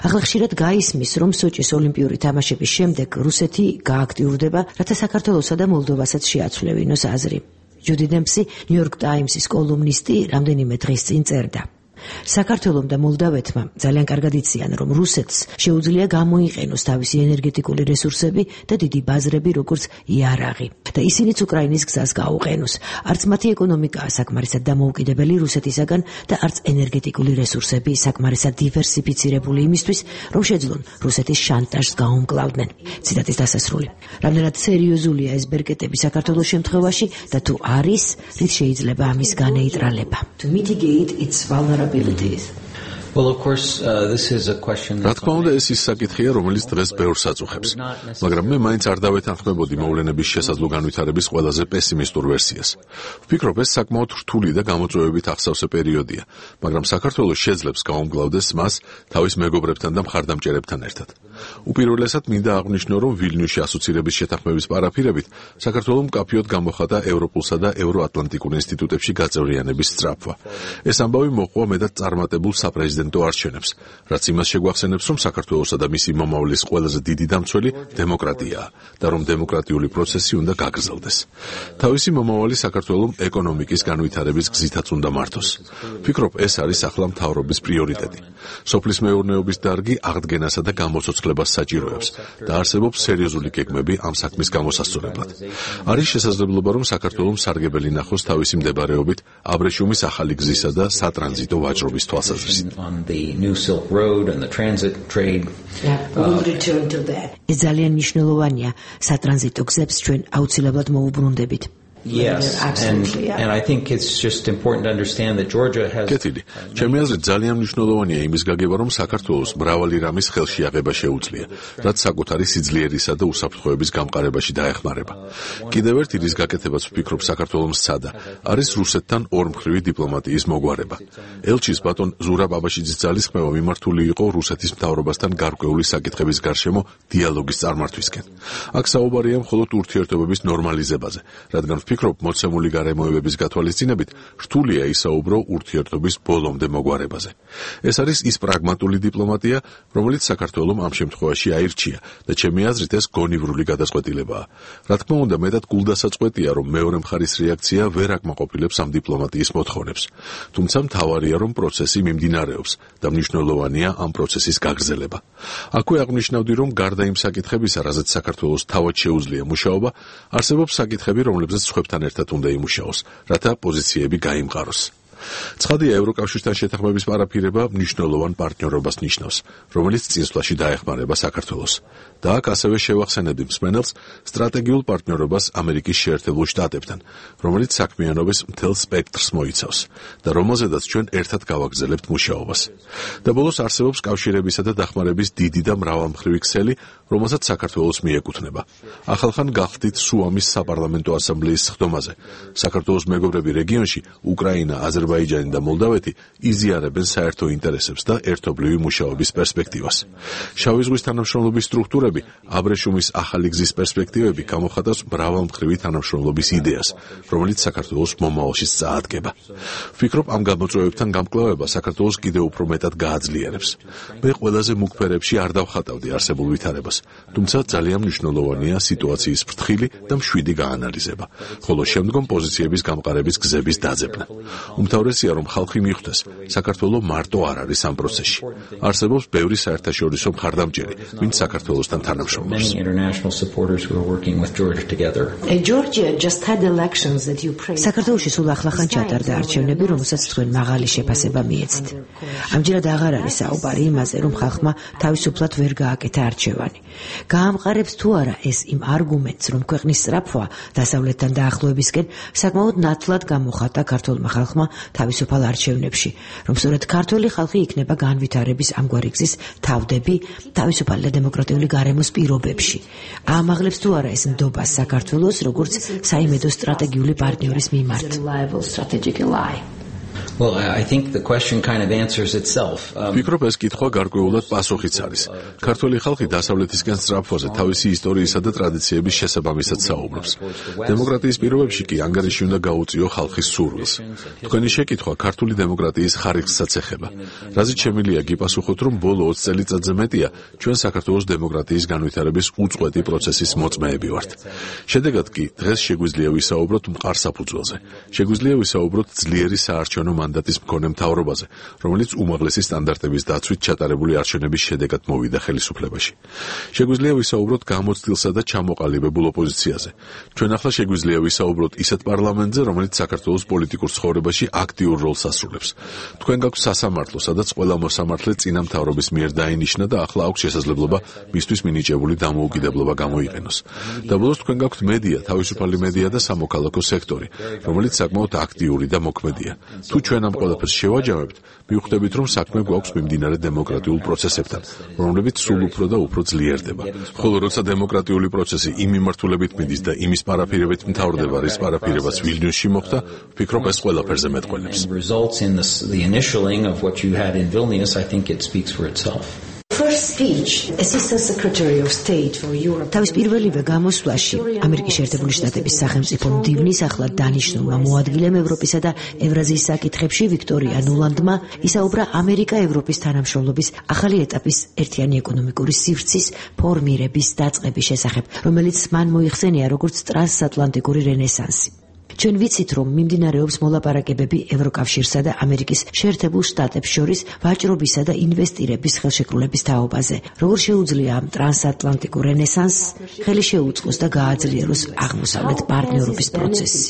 ახლა ხშირად გაისმის, რომ სოჭის ოლიმპიური თამაშების შემდეგ რუსეთი გააქტიურდება, რათა საქართველოსა და მოლდოვასაც შეაცვლევინოს აზრი. ჯუდი დემპსი, ნიუ-იორკ ტაიმსის კოლუმნისტი, რამდენიმე დღის წინ წერდა. საქართველომ და მოლდავეთმა ძალიან კარგად იციან, რომ რუსეთს შეუძლია გამოიყენოს თავისი ენერგეტიკული რესურსები და დიდი ბაზრები, როგორც იარაღი, და ისინიც უკრაინის გზას გაუყენოს. არც მათი ეკონომიკაა საკმარისად დამოუკიდებელი რუსეთისაგან და არც ენერგეტიკული რესურსები საკმარისად დივერსიფიცირებული იმისთვის, რომ შეძლონ რუსეთის შანტაჟს გაუმკლავდნენ. ციტატის დასასრული. რამდენად სერიოზულია ეს ბერკეტები საქართველოს შემთხვევაში და თუ არის, რით შეიძლება ამის განეიტრალება. To mitigate its vulnerability. Well, of course, uh, this is a question. რა თქმა უნდა, ეს ის საკითხია, რომელიც დღეს ბევრს აწუხებს. მაგრამ მე მაინც არ დავეთანხმებოდი მოვლენების შესაძლო განვითარების ყველაზე პესიმისტურ ვერსიას. ვფიქრობ, ეს საკმაოდ რთული და გამოწვევებით ახსავსე პერიოდია, მაგრამ საქართველოს შეძლებს გაუმგლავდეს მას თავის მეგობრებთან და მხარდამჭერებთან ერთად. უპირველესად მინდა აღვნიშნო, რომ ვილნიუსში ასოცირების შეთანხმების პარაფირებით საქართველოს მკაფიოდ გამოხატა ევროპულსა და ევროატლანტიკურ ინსტიტუტებში გაწევრიანების სწრაფვა. ეს ამბავი მოყვა მეტად წარმატებულ საპრეზიდენტო არჩევნებს, რაც იმას შეგვახსენებს, რომ საქართველოსა და მისი მომავლის ყველაზე დიდი დამცველი დემოკრატიაა და რომ დემოკრატიული პროცესი უნდა გაგრძელდეს. თავისი მომავალი საქართველოს ეკონომიკის განვითარების გზითაც უნდა მართოს. ვფიქრობ, ეს არის ახლა მთავრობის პრიორიტეტი. სოფლის მეურნეობის დარგი აღდგენასა და გამოცოცხლებას საჭიროებს და არსებობს სერიოზული გეგმები ამ საქმის გამოსასწორებლად. არის შესაძლებლობა, რომ საქართველოს სარგებელი ნახოს თავისი მდებარეობით აბრეშუმის ახალი გზისა და სატრანზიტო ვაჭრობის თვალსაზრისით. On the new Silk Road and the transit trade. Yeah, we'll return to that. ეს ძალიან მნიშვნელოვანია, სატრანზიტო გზებს ჩვენ აუცილებლად მოუბრუნდებით. Yes, and, and I think it's just important to understand that Georgia has... კეთილი, ჩემი აზრით ძალიან მნიშვნელოვანია იმის გაგება, რომ საქართველოს მრავალი რამის ხელშეაღება შეუძლია, რაც საკუთარი სიძლიერისა და უსაფრთხოების გამყარებაში დაეხმარება. კიდევ ერთი რის გაკეთებაც ვფიქრობ საქართველოს სცადა, არის რუსეთთან ორმხრივი დიპლომატიის მოგვარება. ელჩის ბატონ ზურაბ აბაშიძის ძალისხმევა მიმართული იყო რუსეთის მთავრობასთან გარკვეული საკითხების გარშემო დიალოგის წარმართვისკენ. აქ საუბარია მხოლოდ ურთიერთობების ნორმალიზებაზე, რადგან ვფიქრობ, მოცემული გარემოებების გათვალისწინებით რთულია ისაუბრო ურთიერთობის ბოლომდე მოგვარებაზე. ეს არის ის პრაგმატული დიპლომატია, რომელიც საქართველოს ამ შემთხვევაში აირჩია და ჩემი აზრით ეს გონივრული გადაწყვეტილებაა. რა თქმა უნდა, მეტად გულდასაწყვეტია, რომ მეორე მხარის რეაქცია ვერ აკმაყოფილებს ამ დიპლომატიის მოთხოვნებს. თუმცა მთავარია, რომ პროცესი მიმდინარეობს და მნიშვნელოვანია ამ პროცესის გაგრძელება. აქვე აღნიშნავდი, რომ გარდა იმ საკითხებისა, რაზეც საქართველოს თავად შეუძლია მუშაობა, არსებობს საკითხები, რომლებზეც სხვებთან ერთად უნდა იმუშაოს, რათა პოზიციები გაიმყაროს. ცხადია, ევროკავშირთან შეთანხმების პარაფირება მნიშვნელოვან პარტნიორობას ნიშნავს, რომელიც წინსვლაში დაეხმარება საქართველოს. და აქ ასევე შევახსენებდი მსმენელს სტრატეგიულ პარტნიორობას ამერიკის შეერთებულ შტატებთან, რომელიც საქმიანობის მთელ სპექტრს მოიცავს და რომელზედაც ჩვენ ერთად გავაგრძელებთ მუშაობას. და ბოლოს არსებობს კავშირებისა და დახმარების დიდი და მრავალმხრივი ქსელი, რომელსაც საქართველოს მიეკუთვნება. ახალხან გახდით სუამის საპარლამენტო ასამბლეის სხდომაზე. საქართველოს მეგობრები რეგიონში, უკრაინა, აზერბაიჯანი აზერბაიჯანი და მოლდავეთი იზიარებენ საერთო ინტერესებს და ერთობლივი მუშაობის პერსპექტივას. შავი ზღვის თანამშრომლობის სტრუქტურები, აბრეშუმის ახალი გზის პერსპექტივები გამოხატავს მრავალმხრივი თანამშრომლობის იდეას, რომელიც საქართველოს მომავალში წაადგება. ვფიქრობ, ამ გამოწვევებთან გამკლავება საქართველოს კიდევ უფრო მეტად გააძლიერებს. მე ყველაზე მუქ ფერებში არ დავხატავდი არსებულ ვითარებას, თუმცა ძალიან მნიშვნელოვანია სიტუაციის ფრთხილი და მშვიდი გაანალიზება, ხოლო შემდგომ პოზიციების გამყარების გზების დაძებნა. უმთავრესია, რომ ხალხი მიხვდეს, საქართველო მარტო არ არის ამ პროცესში. არსებობს ბევრი საერთაშორისო მხარდამჭერი, ვინც საქართველოსთან თანამშრომლობს. საქართველოში სულ ახლახან ჩატარდა არჩევნები, რომელსაც თქვენ მაღალი შეფასება მიეცით. ამჯერად აღარ არის საუბარი იმაზე, რომ ხალხმა თავისუფლად ვერ გააკეთა არჩევანი. გაამყარებს თუ არა ეს იმ არგუმენტს, რომ ქვეყნის სწრაფვა დასავლეთთან დაახლოებისკენ საკმაოდ ნათლად გამოხატა ქართულმა ხალხმა თავისუფალ არჩევნებში, რომ სწორედ ქართველი ხალხი იქნება განვითარების ამგვარი გზის თავდები თავისუფალი და დემოკრატიული გარემოს პირობებში. აამაღლებს თუ არა ეს ნდობას საქართველოს როგორც საიმედო სტრატეგიული პარტნიორის მიმართ. Well, I think the question kind of answers itself. ვფიქრობ, ეს კითხვა გარკვეულად პასუხიც არის. ქართველი ხალხი დასავლეთისკენ სწრაფვაზე თავისი ისტორიისა და ტრადიციების შესაბამისად საუბრობს. დემოკრატიის პირობებში კი ანგარიში უნდა გაუწიო ხალხის სურვილს. თქვენი შეკითხვა ქართული დემოკრატიის ხარისხსაც ეხება. რაზეც შემიძლია გიპასუხოთ, რომ ბოლო ოცი წელიწადზე მეტია ჩვენ საქართველოს დემოკრატიის განვითარების უწყვეტი პროცესის მოწმეები ვართ. შედეგად კი დღეს შეგვიძლია ვისაუბროთ მყარ საფუძველზე. შეგვიძლია ვისაუბროთ ძლიერი საარჩევნო მანდატის მქონე მთავრობაზე, რომელიც უმაღლესი სტანდარტების დაცვით ჩატარებული არჩევნების შედეგად მოვიდა ხელისუფლებაში. შეგვიძლია ვისაუბროთ გამოცდილსა და ჩამოყალიბებულ ოპოზიციაზე. ჩვენ ახლა შეგვიძლია ვისაუბროთ ისეთ პარლამენტზე, რომელიც საქართველოს პოლიტიკურ ცხოვრებაში აქტიურ როლს ასრულებს. თქვენ გაქვთ სასამართლო, სადაც ყველა მოსამართლე წინა მთავრობის მიერ დაინიშნა და ახლა აქვს შესაძლებლობა მისთვის მინიჭებული დამოუკიდებლობა გამოიყენოს. და ბოლოს თქვენ გაქვთ მედია, თავისუფალი მედია და სამოქალაქო სექტორი, რომელიც საკმაოდ აქტიური და მოქმედია. თუ ჩვენ ამ ყველაფერს შევაჯამებთ, მივხვდებით, რომ საქმე გვაქვს მიმდინარე დემოკრატიულ პროცესებთან, რომლებიც სულ უფრო და უფრო ძლიერდება. ხოლო როცა დემოკრატიული პროცესი იმ მიმართულებით მიდის და იმის პარაფირებით მთავრდება, რის პარაფირებას ვილნიუსში მოხდა, ვფიქრობ, ეს ყველაფერზე მეტყველებს. თავის პირველივე გამოსვლაში ამერიკის შეერთებული შტატების სახელმწიფო მდივნის ახლად დანიშნულმა მოადგილემ ევროპისა და ევრაზიის საკითხებში ვიქტორია ნულანდმა ისაუბრა ამერიკა-ევროპის თანამშრომლობის ახალი ეტაპის ერთიანი ეკონომიკური სივრცის ფორმირების დაწყების შესახებ, რომელიც მან მოიხსენია როგორც ტრანსატლანტიკური რენესანსი. ჩვენ ვიცით, რომ მიმდინარეობს მოლაპარაკებები ევროკავშირსა და ამერიკის შეერთებულ შტატებს შორის ვაჭრობისა და ინვესტირების ხელშეკრულების თაობაზე. როგორ შეუძლია ამ ტრანსატლანტიკურ რენესანსს ხელი შეუწყოს და გააძლიეროს აღმოსავლეთ პარტნიორობის პროცესი.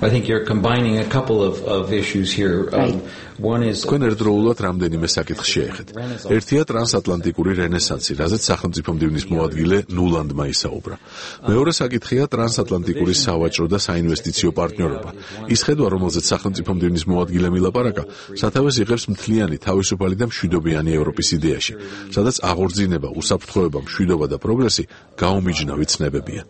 I think you're combining a couple of, of issues here. Um, one is თქვენ ერთდროულად რამდენიმე საკითხს შეეხეთ. ერთია ტრანსატლანტიკური რენესანსი, რაზეც სახელმწიფო მდივნის მოადგილე ნულანდმა ისაუბრა. მეორე საკითხია ტრანსატლანტიკური სავაჭრო და საინვესტიციო პარტნიორობა. ის ხედვა, რომელზეც სახელმწიფო მდივნის მოადგილე მილაპარაკა, სათავეს იღებს მთლიანი, თავისუფალი და მშვიდობიანი ევროპის იდეაში, სადაც აღორძინება, უსაფრთხოება, მშვიდობა და პროგრესი გაუმიჯნავი ცნებებია.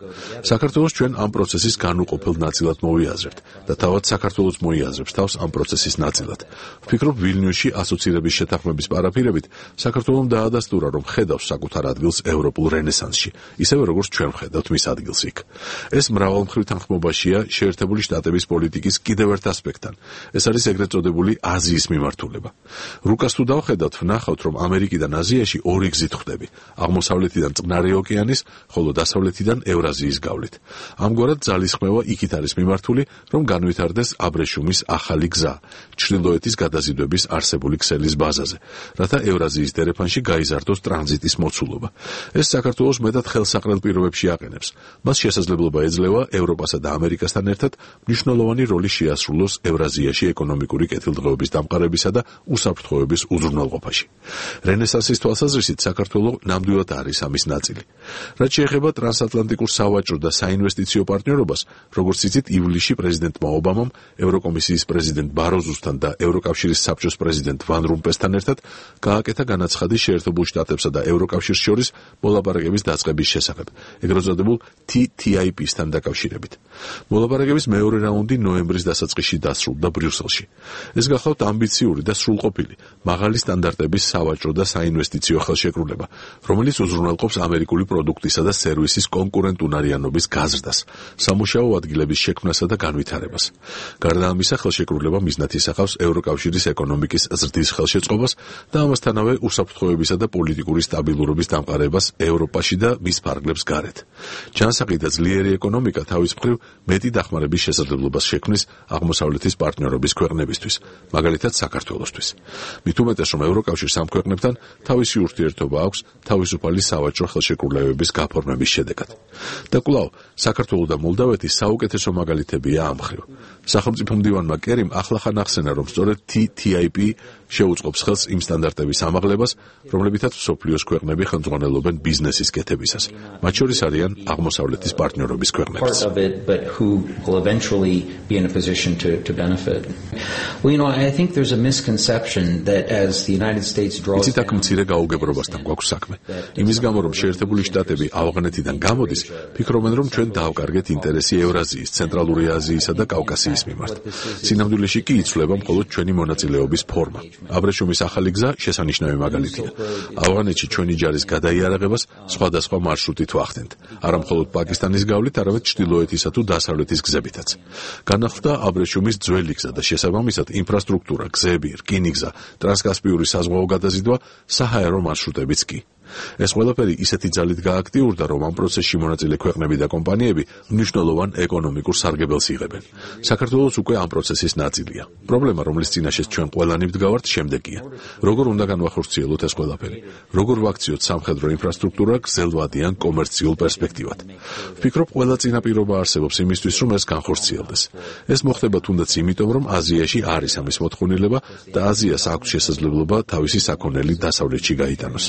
საქართველოს ჩვენ ამ პროცესის განუყოფელ ნაწილად მოვიაზრებთ და თავად საქართველოს მოიაზრებს თავს ამ პროცესის ნაწილად. ვფიქრობ, ვილნიუსში ასოცირების შეთანხმების პარაფირებით საქართველომ დაადასტურა, რომ ხედავს საკუთარ ადგილს ევროპულ რენესანსში, ისევე როგორც ჩვენ ვხედავთ მის ადგილს იქ. ეს მრავალმხრივ თანხმობაშია შეერთებული შტატების პოლიტიკის კიდევ ერთ ასპექტთან. ეს არის ეგრეთ წოდებული აზიის მიმართულება. რუკას თუ დავხედავთ, ვნახავთ, რომ ამერიკიდან აზიაში ორი გზით ხვდები: აღმოსავლეთიდან წყნარი ოკეანის, ხოლო დასავლეთიდან ევრაზიის გავლით. ამგვარად ძალისხმევა იქით არის მიმართული, რომ განვითარდეს აბრეშუმის ახალი გზა, ჩრდილოეთის გადაზიდვების არსებული ქსელის ბაზაზე, რათა ევრაზიის დერეფანში გაიზარდოს ტრანზიტის მოცულობა. ეს საქართველოს მეტად ხელსაყრელ პირობებში აყენებს. მას შესაძლებლობა ეძლევა ევროპასა და ამერიკასთან ერთად მნიშვნელოვანი როლი შეასრულოს ევრაზიაში ეკონომიკური კეთილდღეობის დამყარებისა და უსაფრთხოების უზრუნველყოფაში. რენესანსის თვალსაზრისით საქართველო ნამდვილად არის ამის ნაწილი. რაც შეეხება ტრანსატლანტიკურ სავაჭრო და საინვესტიციო პარტნიორობას, როგორც იცით, ივლისში პრეზიდენტმა ობამამ ევროკომისიის პრეზიდენტ ბაროზუსთან და ევროკავშირის საბჭოს პრეზიდენტ ვან რომპესთან ერთად გააკეთა განაცხადი შეერთებულ შტატებსა და ევროკავშირს შორის მოლაპარაკების დაწყების შესახებ, ეგრეთ წოდებულ T T I P-სთან დაკავშირებით. მოლაპარაკების მეორე რაუნდი ნოემბრის დასაწყისში დასრულდა ბრიუსელში. ეს გახლავთ ამბიციური და სრულყოფილი, მაღალი სტანდარტების სავაჭრო და საინვესტიციო ხელშეკრულება, რომელიც უზრუნველყოფს ამერიკული პროდუქტისა და სერვისის კონკურენტუნარიანობის გაზრდას, სამუშაო ადგილების შექმნასა და განვითარებას. გარდა ამისა, ხელშეკრულება მიზნად ისახავს ევროკავშირის ეკონომიკის ზრდის ხელშეწყობას და ამასთანავე უსაფრთხოებისა და პოლიტიკური სტაბილურობის დამყარებას ევროპაში და მის ფარგლებს გარეთ. ჯანსაღი და ძლიერი ეკონომიკა თავის მხრივ მეტი დახმარების შესაძლებლობას შექმნის აღმოსავლეთის პარტნიორობის ქვეყნებისთვის, მაგალითად საქართველოსთვის. მით უმეტეს, რომ ევროკავშირს ამ ქვეყნებთან თავისი ურთიერთობა აქვს თავისუფალი სავაჭრო ხელშეკრულებების გაფორმების შედეგად. და კვლავ, საქართველო და მოლდავეთი საუკეთესო მაგალითებია ამ მხრივ. სახელმწიფო მდივანმა კერიმ ახლახან ახსენა, რომ სწორედ T T I P შეუწყობს ხელს იმ სტანდარტების ამაღლებას, რომლებითაც მსოფლიოს ქვეყნები ხელმძღვანელობენ ბიზნესის კეთებისას. მათ შორის არიან აღმოსავლეთის პარტნიორობის ქვეყნებიც. იცით, აქ მცირე გაუგებრობასთან გვაქვს საქმე. იმის გამო, რომ შეერთებული შტატები ავღანეთიდან გამოდის, ფიქრობენ, რომ ჩვენ დავკარგეთ ინტერესი ევრაზიის, ცენტრალური აზიისა და კავკასიის მიმართ. სინამდვილეში კი იცვლება მხოლოდ ჩვენი მონაწილეობის ფორმა. აბრეშუმის ახალი გზა შესანიშნავი მაგალითია. ავღანეთში ჩვენი ჯარის გადაიარაღებას სხვადასხვა მარშრუტით ვახდენთ, არა მხოლოდ პაკისტანის გავლით, არამედ ჩრდილოეთისა თუ დასავლეთის გზებითაც. განახლდა აბრეშუმის ძველი გზა და შესაბამისად ინფრასტრუქტურა, გზები, რკინიგზა, ტრანსკასპიური საზღვაო გადაზიდვა, საჰაერო მარშრუტებიც კი. ეს ყველაფერი ისეთი ძალით გააქტიურდა, რომ ამ პროცესში მონაწილე ქვეყნები და კომპანიები მნიშვნელოვან ეკონომიკურ სარგებელს იღებენ. საქართველოს უკვე ამ პროცესის ნაწილია. პრობლემა, რომლის წინაშეც ჩვენ ყველანი ვდგავართ, შემდეგია. როგორ უნდა განვახორციელოთ ეს ყველაფერი? როგორ ვაქციოთ სამხედრო ინფრასტრუქტურა გრძელვადიან კომერციულ პერსპექტივად? ვფიქრობ, ყველა წინაპირობა არსებობს იმისთვის, რომ ეს განხორციელდეს. ეს მოხდება თუნდაც იმიტომ, რომ აზიაში არის ამის მოთხოვნილება და აზიას აქვს შესაძლებლობა თავისი საქონელი დასავლეთში გაიტანოს.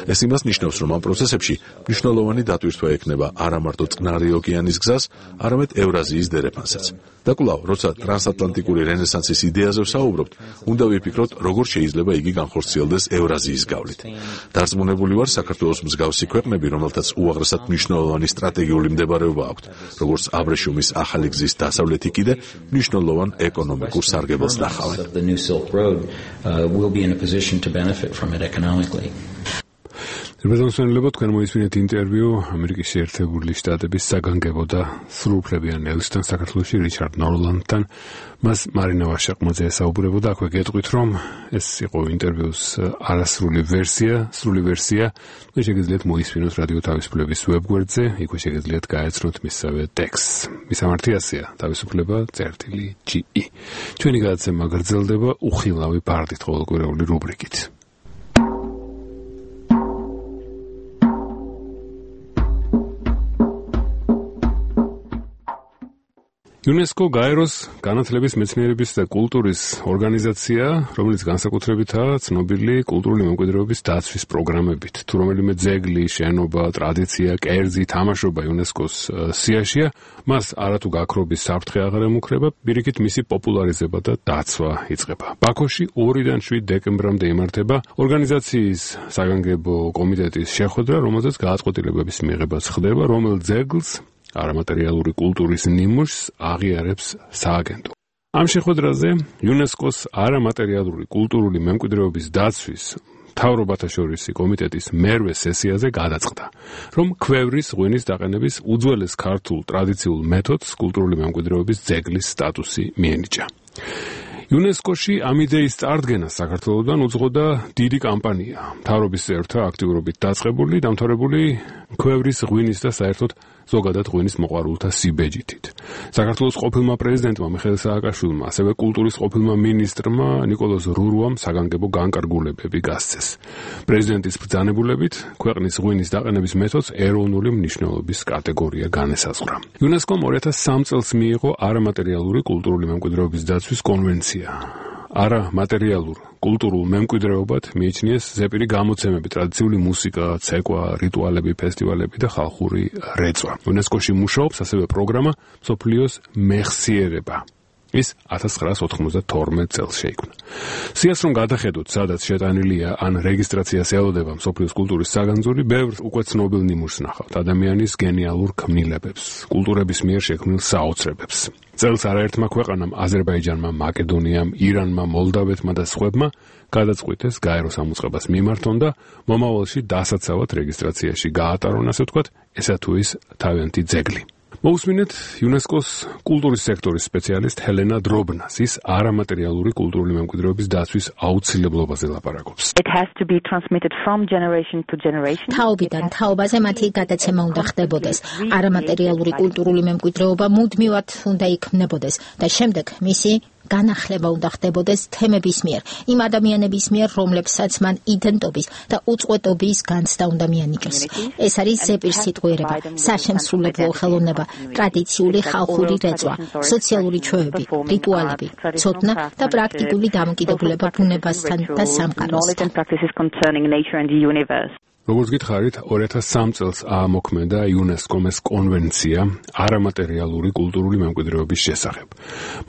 ეს იმას ნიშნავს, რომ ამ პროცესებში მნიშვნელოვანი დატვირთვა ექნება არა მარტო წყნარი ოკეანის გზას, არამედ ევრაზიის დერეფანსაც. და კვლავ, როცა ტრანსატლანტიკური რენესანსის იდეაზე ვსაუბრობთ, უნდა ვიფიქროთ, როგორ შეიძლება იგი განხორციელდეს ევრაზიის გავლით. დარწმუნებული ვარ, საქართველოს მსგავსი ქვეყნები, რომელთაც უაღრესად მნიშვნელოვანი სტრატეგიული მდებარეობა აქვთ, როგორც აბრეშუმის ახალი გზის დასავლეთი კიდე, მნიშვნელოვან ეკონომიკურ სარგებელს ნახავენ. რბედონსონელებო, თქვენ მოისმინეთ ინტერვიუ ამერიკის შეერთებული შტატების საგანგებო და სრულუფლებიან ელჩთან საქართველოში რიჩარდ ნორლანდთან. მას მარინა ვაშაყმაძე ესაუბრებოდა. აქვე გეტყვით, რომ ეს იყო ინტერვიუს არასრული ვერსია, სრული ვერსია. თქვენ შეგიძლიათ მოისმინოთ რადიო თავისუფლების ვებგვერდზე, იქვე შეგიძლიათ გაეცნოთ მისსავე ტექსტს. მისამართიასია თავისუფლება წერტილი G E. ჩვენი გადაცემა გრძელდება უხილავი ფარდით ყოველკვირეული რუბრიკით. UNESCO გაეროს განათლების, მეცნიერების და კულტურის ორგანიზაცია, რომელიც განსაკუთრებითაა ცნობილი კულტურული მემკვიდრეობის დაცვის პროგრამებით. თუ რომელიმე ძეგლი, შენობა, ტრადიცია, კერძი, თამაშობა იუნესკოს სიაშია, მას არათუ გაქრობის საფრთხე აღარ ემუქრება, პირიქით მისი პოპულარიზება და დაცვა იწყება. ბაქოში ორიდან შვიდ დეკემბრამდე იმართება ორგანიზაციის საგანგებო კომიტეტის შეხვედრა, რომელზეც გადაწყვეტილებების მიღებაც ხდება, რომელ ძეგლს არამატერიალური კულტურის ნიმუშს აღიარებს სააგენტო. ამ შეხვედრაზე იუნესკოს არამატერიალური კულტურული მემკვიდრეობის დაცვის მთავრობათა შორისი კომიტეტის მერვე სესიაზე გადაწყდა, რომ ქვევრის ღვინის დაყენების უძველეს ქართულ ტრადიციულ მეთოდს კულტურული მემკვიდრეობის ძეგლის სტატუსი მიენიჭა. იუნესკოში ამ იდეის წარდგენა საქართველოსთან უძღოდა დიდი კამპანია. მთავრობის წევრთა აქტიურობით დაწყებული, დამთავრებული ქვევრის ღვინის და საერთოდ ზოგადად ღვინის მოყვარულთა სიბეჯითით. საქართველოს ყოფილმა პრეზიდენტმა მიხეილ სააკაშვილმა, ასევე კულტურის ყოფილმა მინისტრმა ნიკოლოზ რურუამ საგანგებო განკარგულებები გასცეს. პრეზიდენტის ბრძანებულებით ქვეყნის ღვინის დაყენების მეთოდს ეროვნული მნიშვნელობის კატეგორია განესაზღვრა. იუნესკომ ორი ათას სამი წელს მიიღო არამატერიალური კულტურული მემკვიდრეობის დაცვის კონვენცია. არა მატერიალურ კულტურულ მემკვიდრეობად მიიჩნიეს ზეპირი გამოცემები, ტრადიციული მუსიკა, ცეკვა, რიტუალები, ფესტივალები და ხალხური რეწვა. იუნესკოში მუშაობს ასევე პროგრამა მსოფლიოს მეხსიერება. ის ათას ცხრაას ოთხმოცდათორმეტ წელს შეიქმნა. სიას რომ გადახედოთ, სადაც შეტანილია ან რეგისტრაციას ელოდება მსოფლიოს კულტურის საგანძური, ბევრ უკვე ცნობილ ნიმუშს ნახავთ, ადამიანის გენიალურ ქმნილებებს, კულტურების მიერ შექმნილ საოცრებებს. წელს არაერთმა ქვეყანამ, აზერბაიჯანმა, მაკედონიამ, ირანმა, მოლდავეთმა და სხვებმა გადაწყვიტეს გაერო სამუწყებას მიმართონ და მომავალში დასაცავად რეგისტრაციაში გაატარონ, ასე ვთქვათ, ესა თუ ის თავიანთი ძეგლი. მოусმინეთ იუნესკოს კულტურის სექტორის სპეციალისტ ჰელენა დრობნას. ის არამატერიალური კულტურული მემკვიდრეობის დაცვის აუცილებლობაზე ლაპარაკობს. თაობიდან თაობაზე მათი გადაცემა უნდა ხდებოდეს. არამატერიალური კულტურული მემკვიდრეობა მუდმივად უნდა იქმნებოდეს და შემდეგ მისი განახლება უნდა ხდებოდეს თემების მიერ, იმ ადამიანების მიერ, რომლებსაც მან იდენტობის და უწყვეტობის განცდა უნდა მიანიჭოს. ეს არის ზეპირ სიტყვიერება, საშემსრულებლო ხელოვნება, ტრადიციული ხალხური რეწვა, სოციალური ჩვევები, რიტუალები, ცოდნა და პრაქტიკული დამოკიდებულება ბუნებასთან და სამყაროსთან. როგორც გითხარით, ორი ათას სამ წელს აამოქმედა იუნესკომ ეს კონვენცია არამატერიალური კულტურული მემკვიდრეობის შესახებ.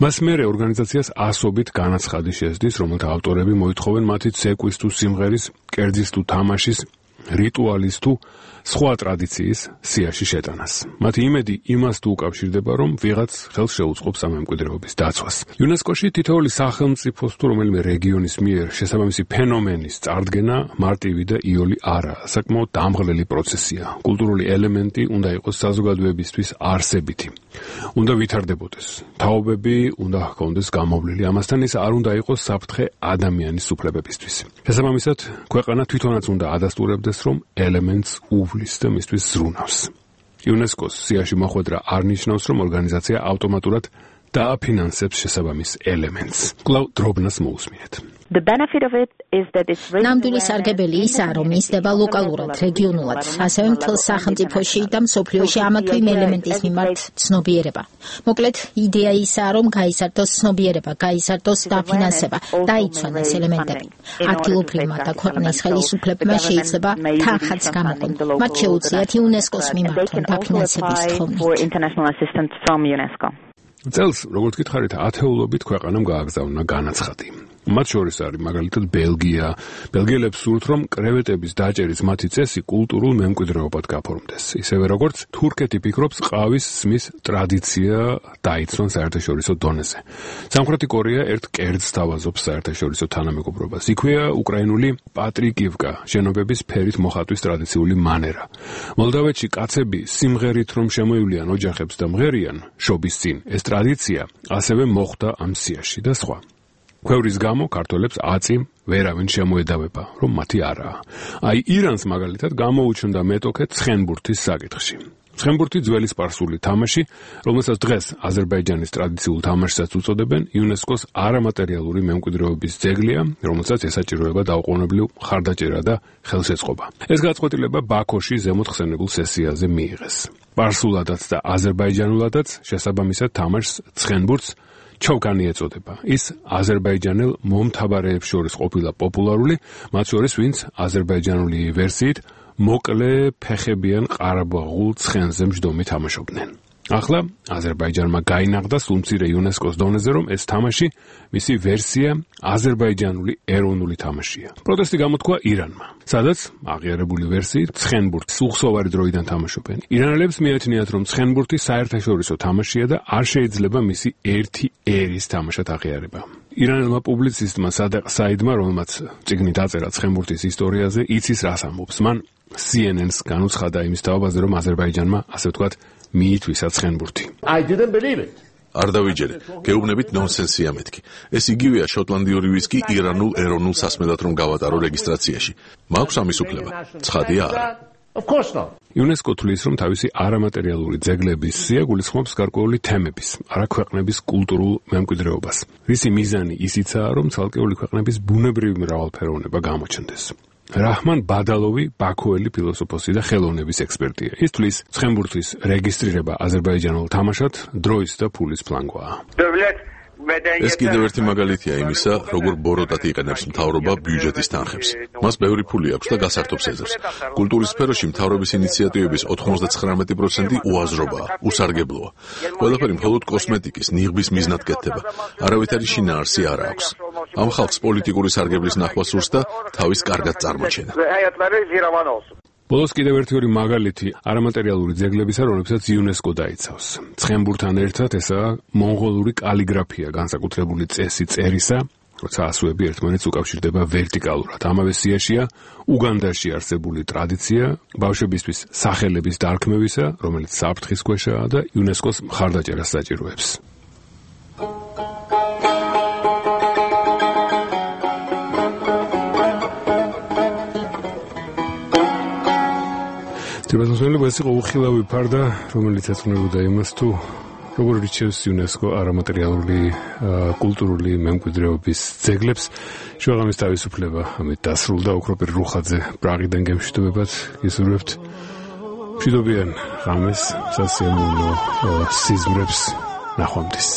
მას მერე ორგანიზაციას ასობით განაცხადი შესდის, რომელთა ავტორები მოითხოვენ მათი ცეკვის თუ სიმღერის, კერძის თუ თამაშის, რიტუალის თუ სხვა ტრადიციის სიაში შეტანას. მათი იმედი იმას თუ უკავშირდება, რომ ვიღაც ხელს შეუწყობს ამ მემკვიდრეობის დაცვას. იუნესკოში თითოეული სახელმწიფოს თუ რომელიმე რეგიონის მიერ შესაბამისი ფენომენის წარდგენა მარტივი და იოლი არაა, საკმაოდ დამღლელი პროცესია. კულტურული ელემენტი უნდა იყოს საზოგადოებისთვის არსებითი. უნდა ვითარდებოდეს. თაობები უნდა ჰქონდეს გამოვლილი. ამასთან ის არ უნდა იყოს საფრთხე ადამიანის უფლებებისთვის. შესაბამისად, ქვეყანა თვითონაც უნდა ადასტურებდეს, რომ ელემენტს უვლის და მისთვის ზრუნავს. იუნესკოს სიაში მოხვედრა არ ნიშნავს, რომ ორგანიზაცია ავტომატურად დააფინანსებს შესაბამის ელემენტს. კვლავ დრობნას მოусმინეთ. ნამდვილი სარგებელი ისაა, რომ მისდება ლოკალურად, რეგიონულად, ასევე მთელ სახელმწიფოში და მსოფლიოში ამა თუ იმ ელემენტის მიმართ ცნობიერება. მოკლედ, იდეა ისაა, რომ გაიზარდოს ცნობიერება, გაიზარდოს დაფინანსება, დაიცვან ეს ელემენტები. ადგილობრივმა და ქვეყნის ხელისუფლებებმა შეიძლება თანხაც გამოყონ. მათ შეუძლიათ იუნესკოს მიმართონ დაფინანსების თხოვნით. წელს, როგორც გითხარით, ათეულობით ქვეყანამ გააგზავნა განაცხადი. მათ შორის არის მაგალითად ბელგია. ბელგიელებს სურთ, რომ კრევეტების დაჭერის მათი წესი კულტურულ მემკვიდრეობად გაფორმდეს. ისევე როგორც თურქეთი ფიქრობს, ყავის სმის ტრადიცია დაიცვან საერთაშორისო დონეზე. სამხრეთი კორეა ერთ კერძს თავაზობს საერთაშორისო თანამეგობრობას. იქვეა უკრაინული პატრიკივკა, შენობების ფერით მოხატვის ტრადიციული მანერა. მოლდავეთში კაცები სიმღერით რომ შემოივლიან ოჯახებს და მღერიან შობის წინ. ეს ტრადიცია ასევე მოხვდა ამ სიაში და სხვა. ქვევრის გამო ქართველებს აწი ვერავინ შემოედავება, რომ მათი არაა. აი ირანს მაგალითად გამოუჩნდა მეტოქე ცხენბურთის საკითხში. ცხენბურთი ძველი სპარსული თამაში, რომელსაც დღეს აზერბაიჯანის ტრადიციულ თამაშსაც უწოდებენ, იუნესკოს არამატერიალური მემკვიდრეობის ძეგლია, რომელსაც ესაჭიროება დაუყოვნებლივ მხარდაჭერა და ხელშეწყობა. ეს გაწყვეტილება ბაქოში ზემოთ ხსენებულ სესიაზე მიიღეს. სპარსულადაც და აზერბაიჯანულადაც შესაბამისად თამაშს ცხენბურთს ჩოვკანი ეწოდება. ის აზერბაიჯანელ მომთაბარეებს შორის ყოფილა პოპულარული, მათ შორის ვინც აზერბაიჯანული ვერსიით მოკლე ფეხებიან ყარაბაღულ ცხენზე მჯდომი თამაშობდნენ. ახლა აზერბაიჯანმა გაინაღდა სულმცირე იუნესკოს დონეზე, რომ ეს თამაში მისი ვერსია აზერბაიჯანული ეროვნული თამაშია. პროტესტი გამოთქვა ირანმა, სადაც აღიარებული ვერსიით ცხენბურთს უხსოვარი დროიდან თამაშობენ. ირანელებს მიაჩნიათ, რომ ცხენბურთი საერთაშორისო თამაშია და არ შეიძლება მისი ერთი ერის თამაშად აღიარება. ირანელმა პუბლიცისტმა სადაყ საიდმა, რომელმაც წიგნი დაწერა ცხენბურთის ისტორიაზე, იცის რას ამბობს. მან C N N-ს განუცხადა იმის თაობაზე, რომ აზერბაიჯანმა, ასე ვთქვათ, მიითვისა ცხენბურთი. არ დავიჯერე, გეუბნებით ნონსენსია მეთქი. ეს იგივეა შოტლანდიური ვისკი ირანულ ეროვნულ სასმელად რომ გავატარო რეგისტრაციაში. მაქვს ამის უფლება. ცხადია არა. იუნესკო თვლის, რომ თავისი არამატერიალური ძეგლების სია გულისხმობს გარკვეული თემების, არა ქვეყნების კულტურულ მემკვიდრეობას. რისი მიზანი ისიცაა, რომ ცალკეული ქვეყნების ბუნებრივი მრავალფეროვნება გამოჩნდეს. რაჰმან ბადალოვი ბაქოელი ფილოსოფოსი და ხელოვნების ექსპერტია. ის თვლის, ცხენბურთის რეგისტრირება აზერბაიჯანულ თამაშად დროის და ფულის ფლანგვაა. ეს კიდევ ერთი მაგალითია იმისა, როგორ ბოროტად იყენებს მთავრობა ბიუჯეტის თანხებს. მას ბევრი ფული აქვს და გასართობს ეძებს. კულტურის სფეროში მთავრობის ინიციატივების ოთხმოცდათხრამეტი პროცენტი უაზრობაა, უსარგებლოა. ყველაფერი მხოლოდ კოსმეტიკის, ნიღბის მიზნად კეთდება. არავითარი შინაარსი არ აქვს. ამ ხალხს პოლიტიკური სარგებლის ნახვა სურს და თავის კარგად წარმოჩენა. ბოლოს კიდევ ერთი ორი მაგალითი არამატერიალური ძეგლებისა, რომლებსაც იუნესკო დაიცავს. ცხენბურთან ერთად ესაა მონღოლური კალიგრაფია, განსაკუთრებული წესი წერისა, როცა ასოები ერთმანეთს უკავშირდება ვერტიკალურად. ამავე სიაშია უგანდაში არსებული ტრადიცია ბავშვებისთვის სახელების დარქმევისა, რომელიც საფრთხის ქვეშაა და იუნესკოს მხარდაჭერას საჭიროებს. თვითონ ეს იყო უხილავი ფარდა, რომელიც ეძღვნებოდა იმას, თუ როგორ რჩევს იუნესკო არამატერიალური კულტურული მემკვიდრეობის ძეგლებს. შუაღამის თავისუფლება ამით დასრულდა. უქროპერ რუხაძე პრაღიდან გემშვიდობებად გისურვებთ. მშვიდობიან ღამეს, სასიამოვნო სიზმრებს, ნახვამდის.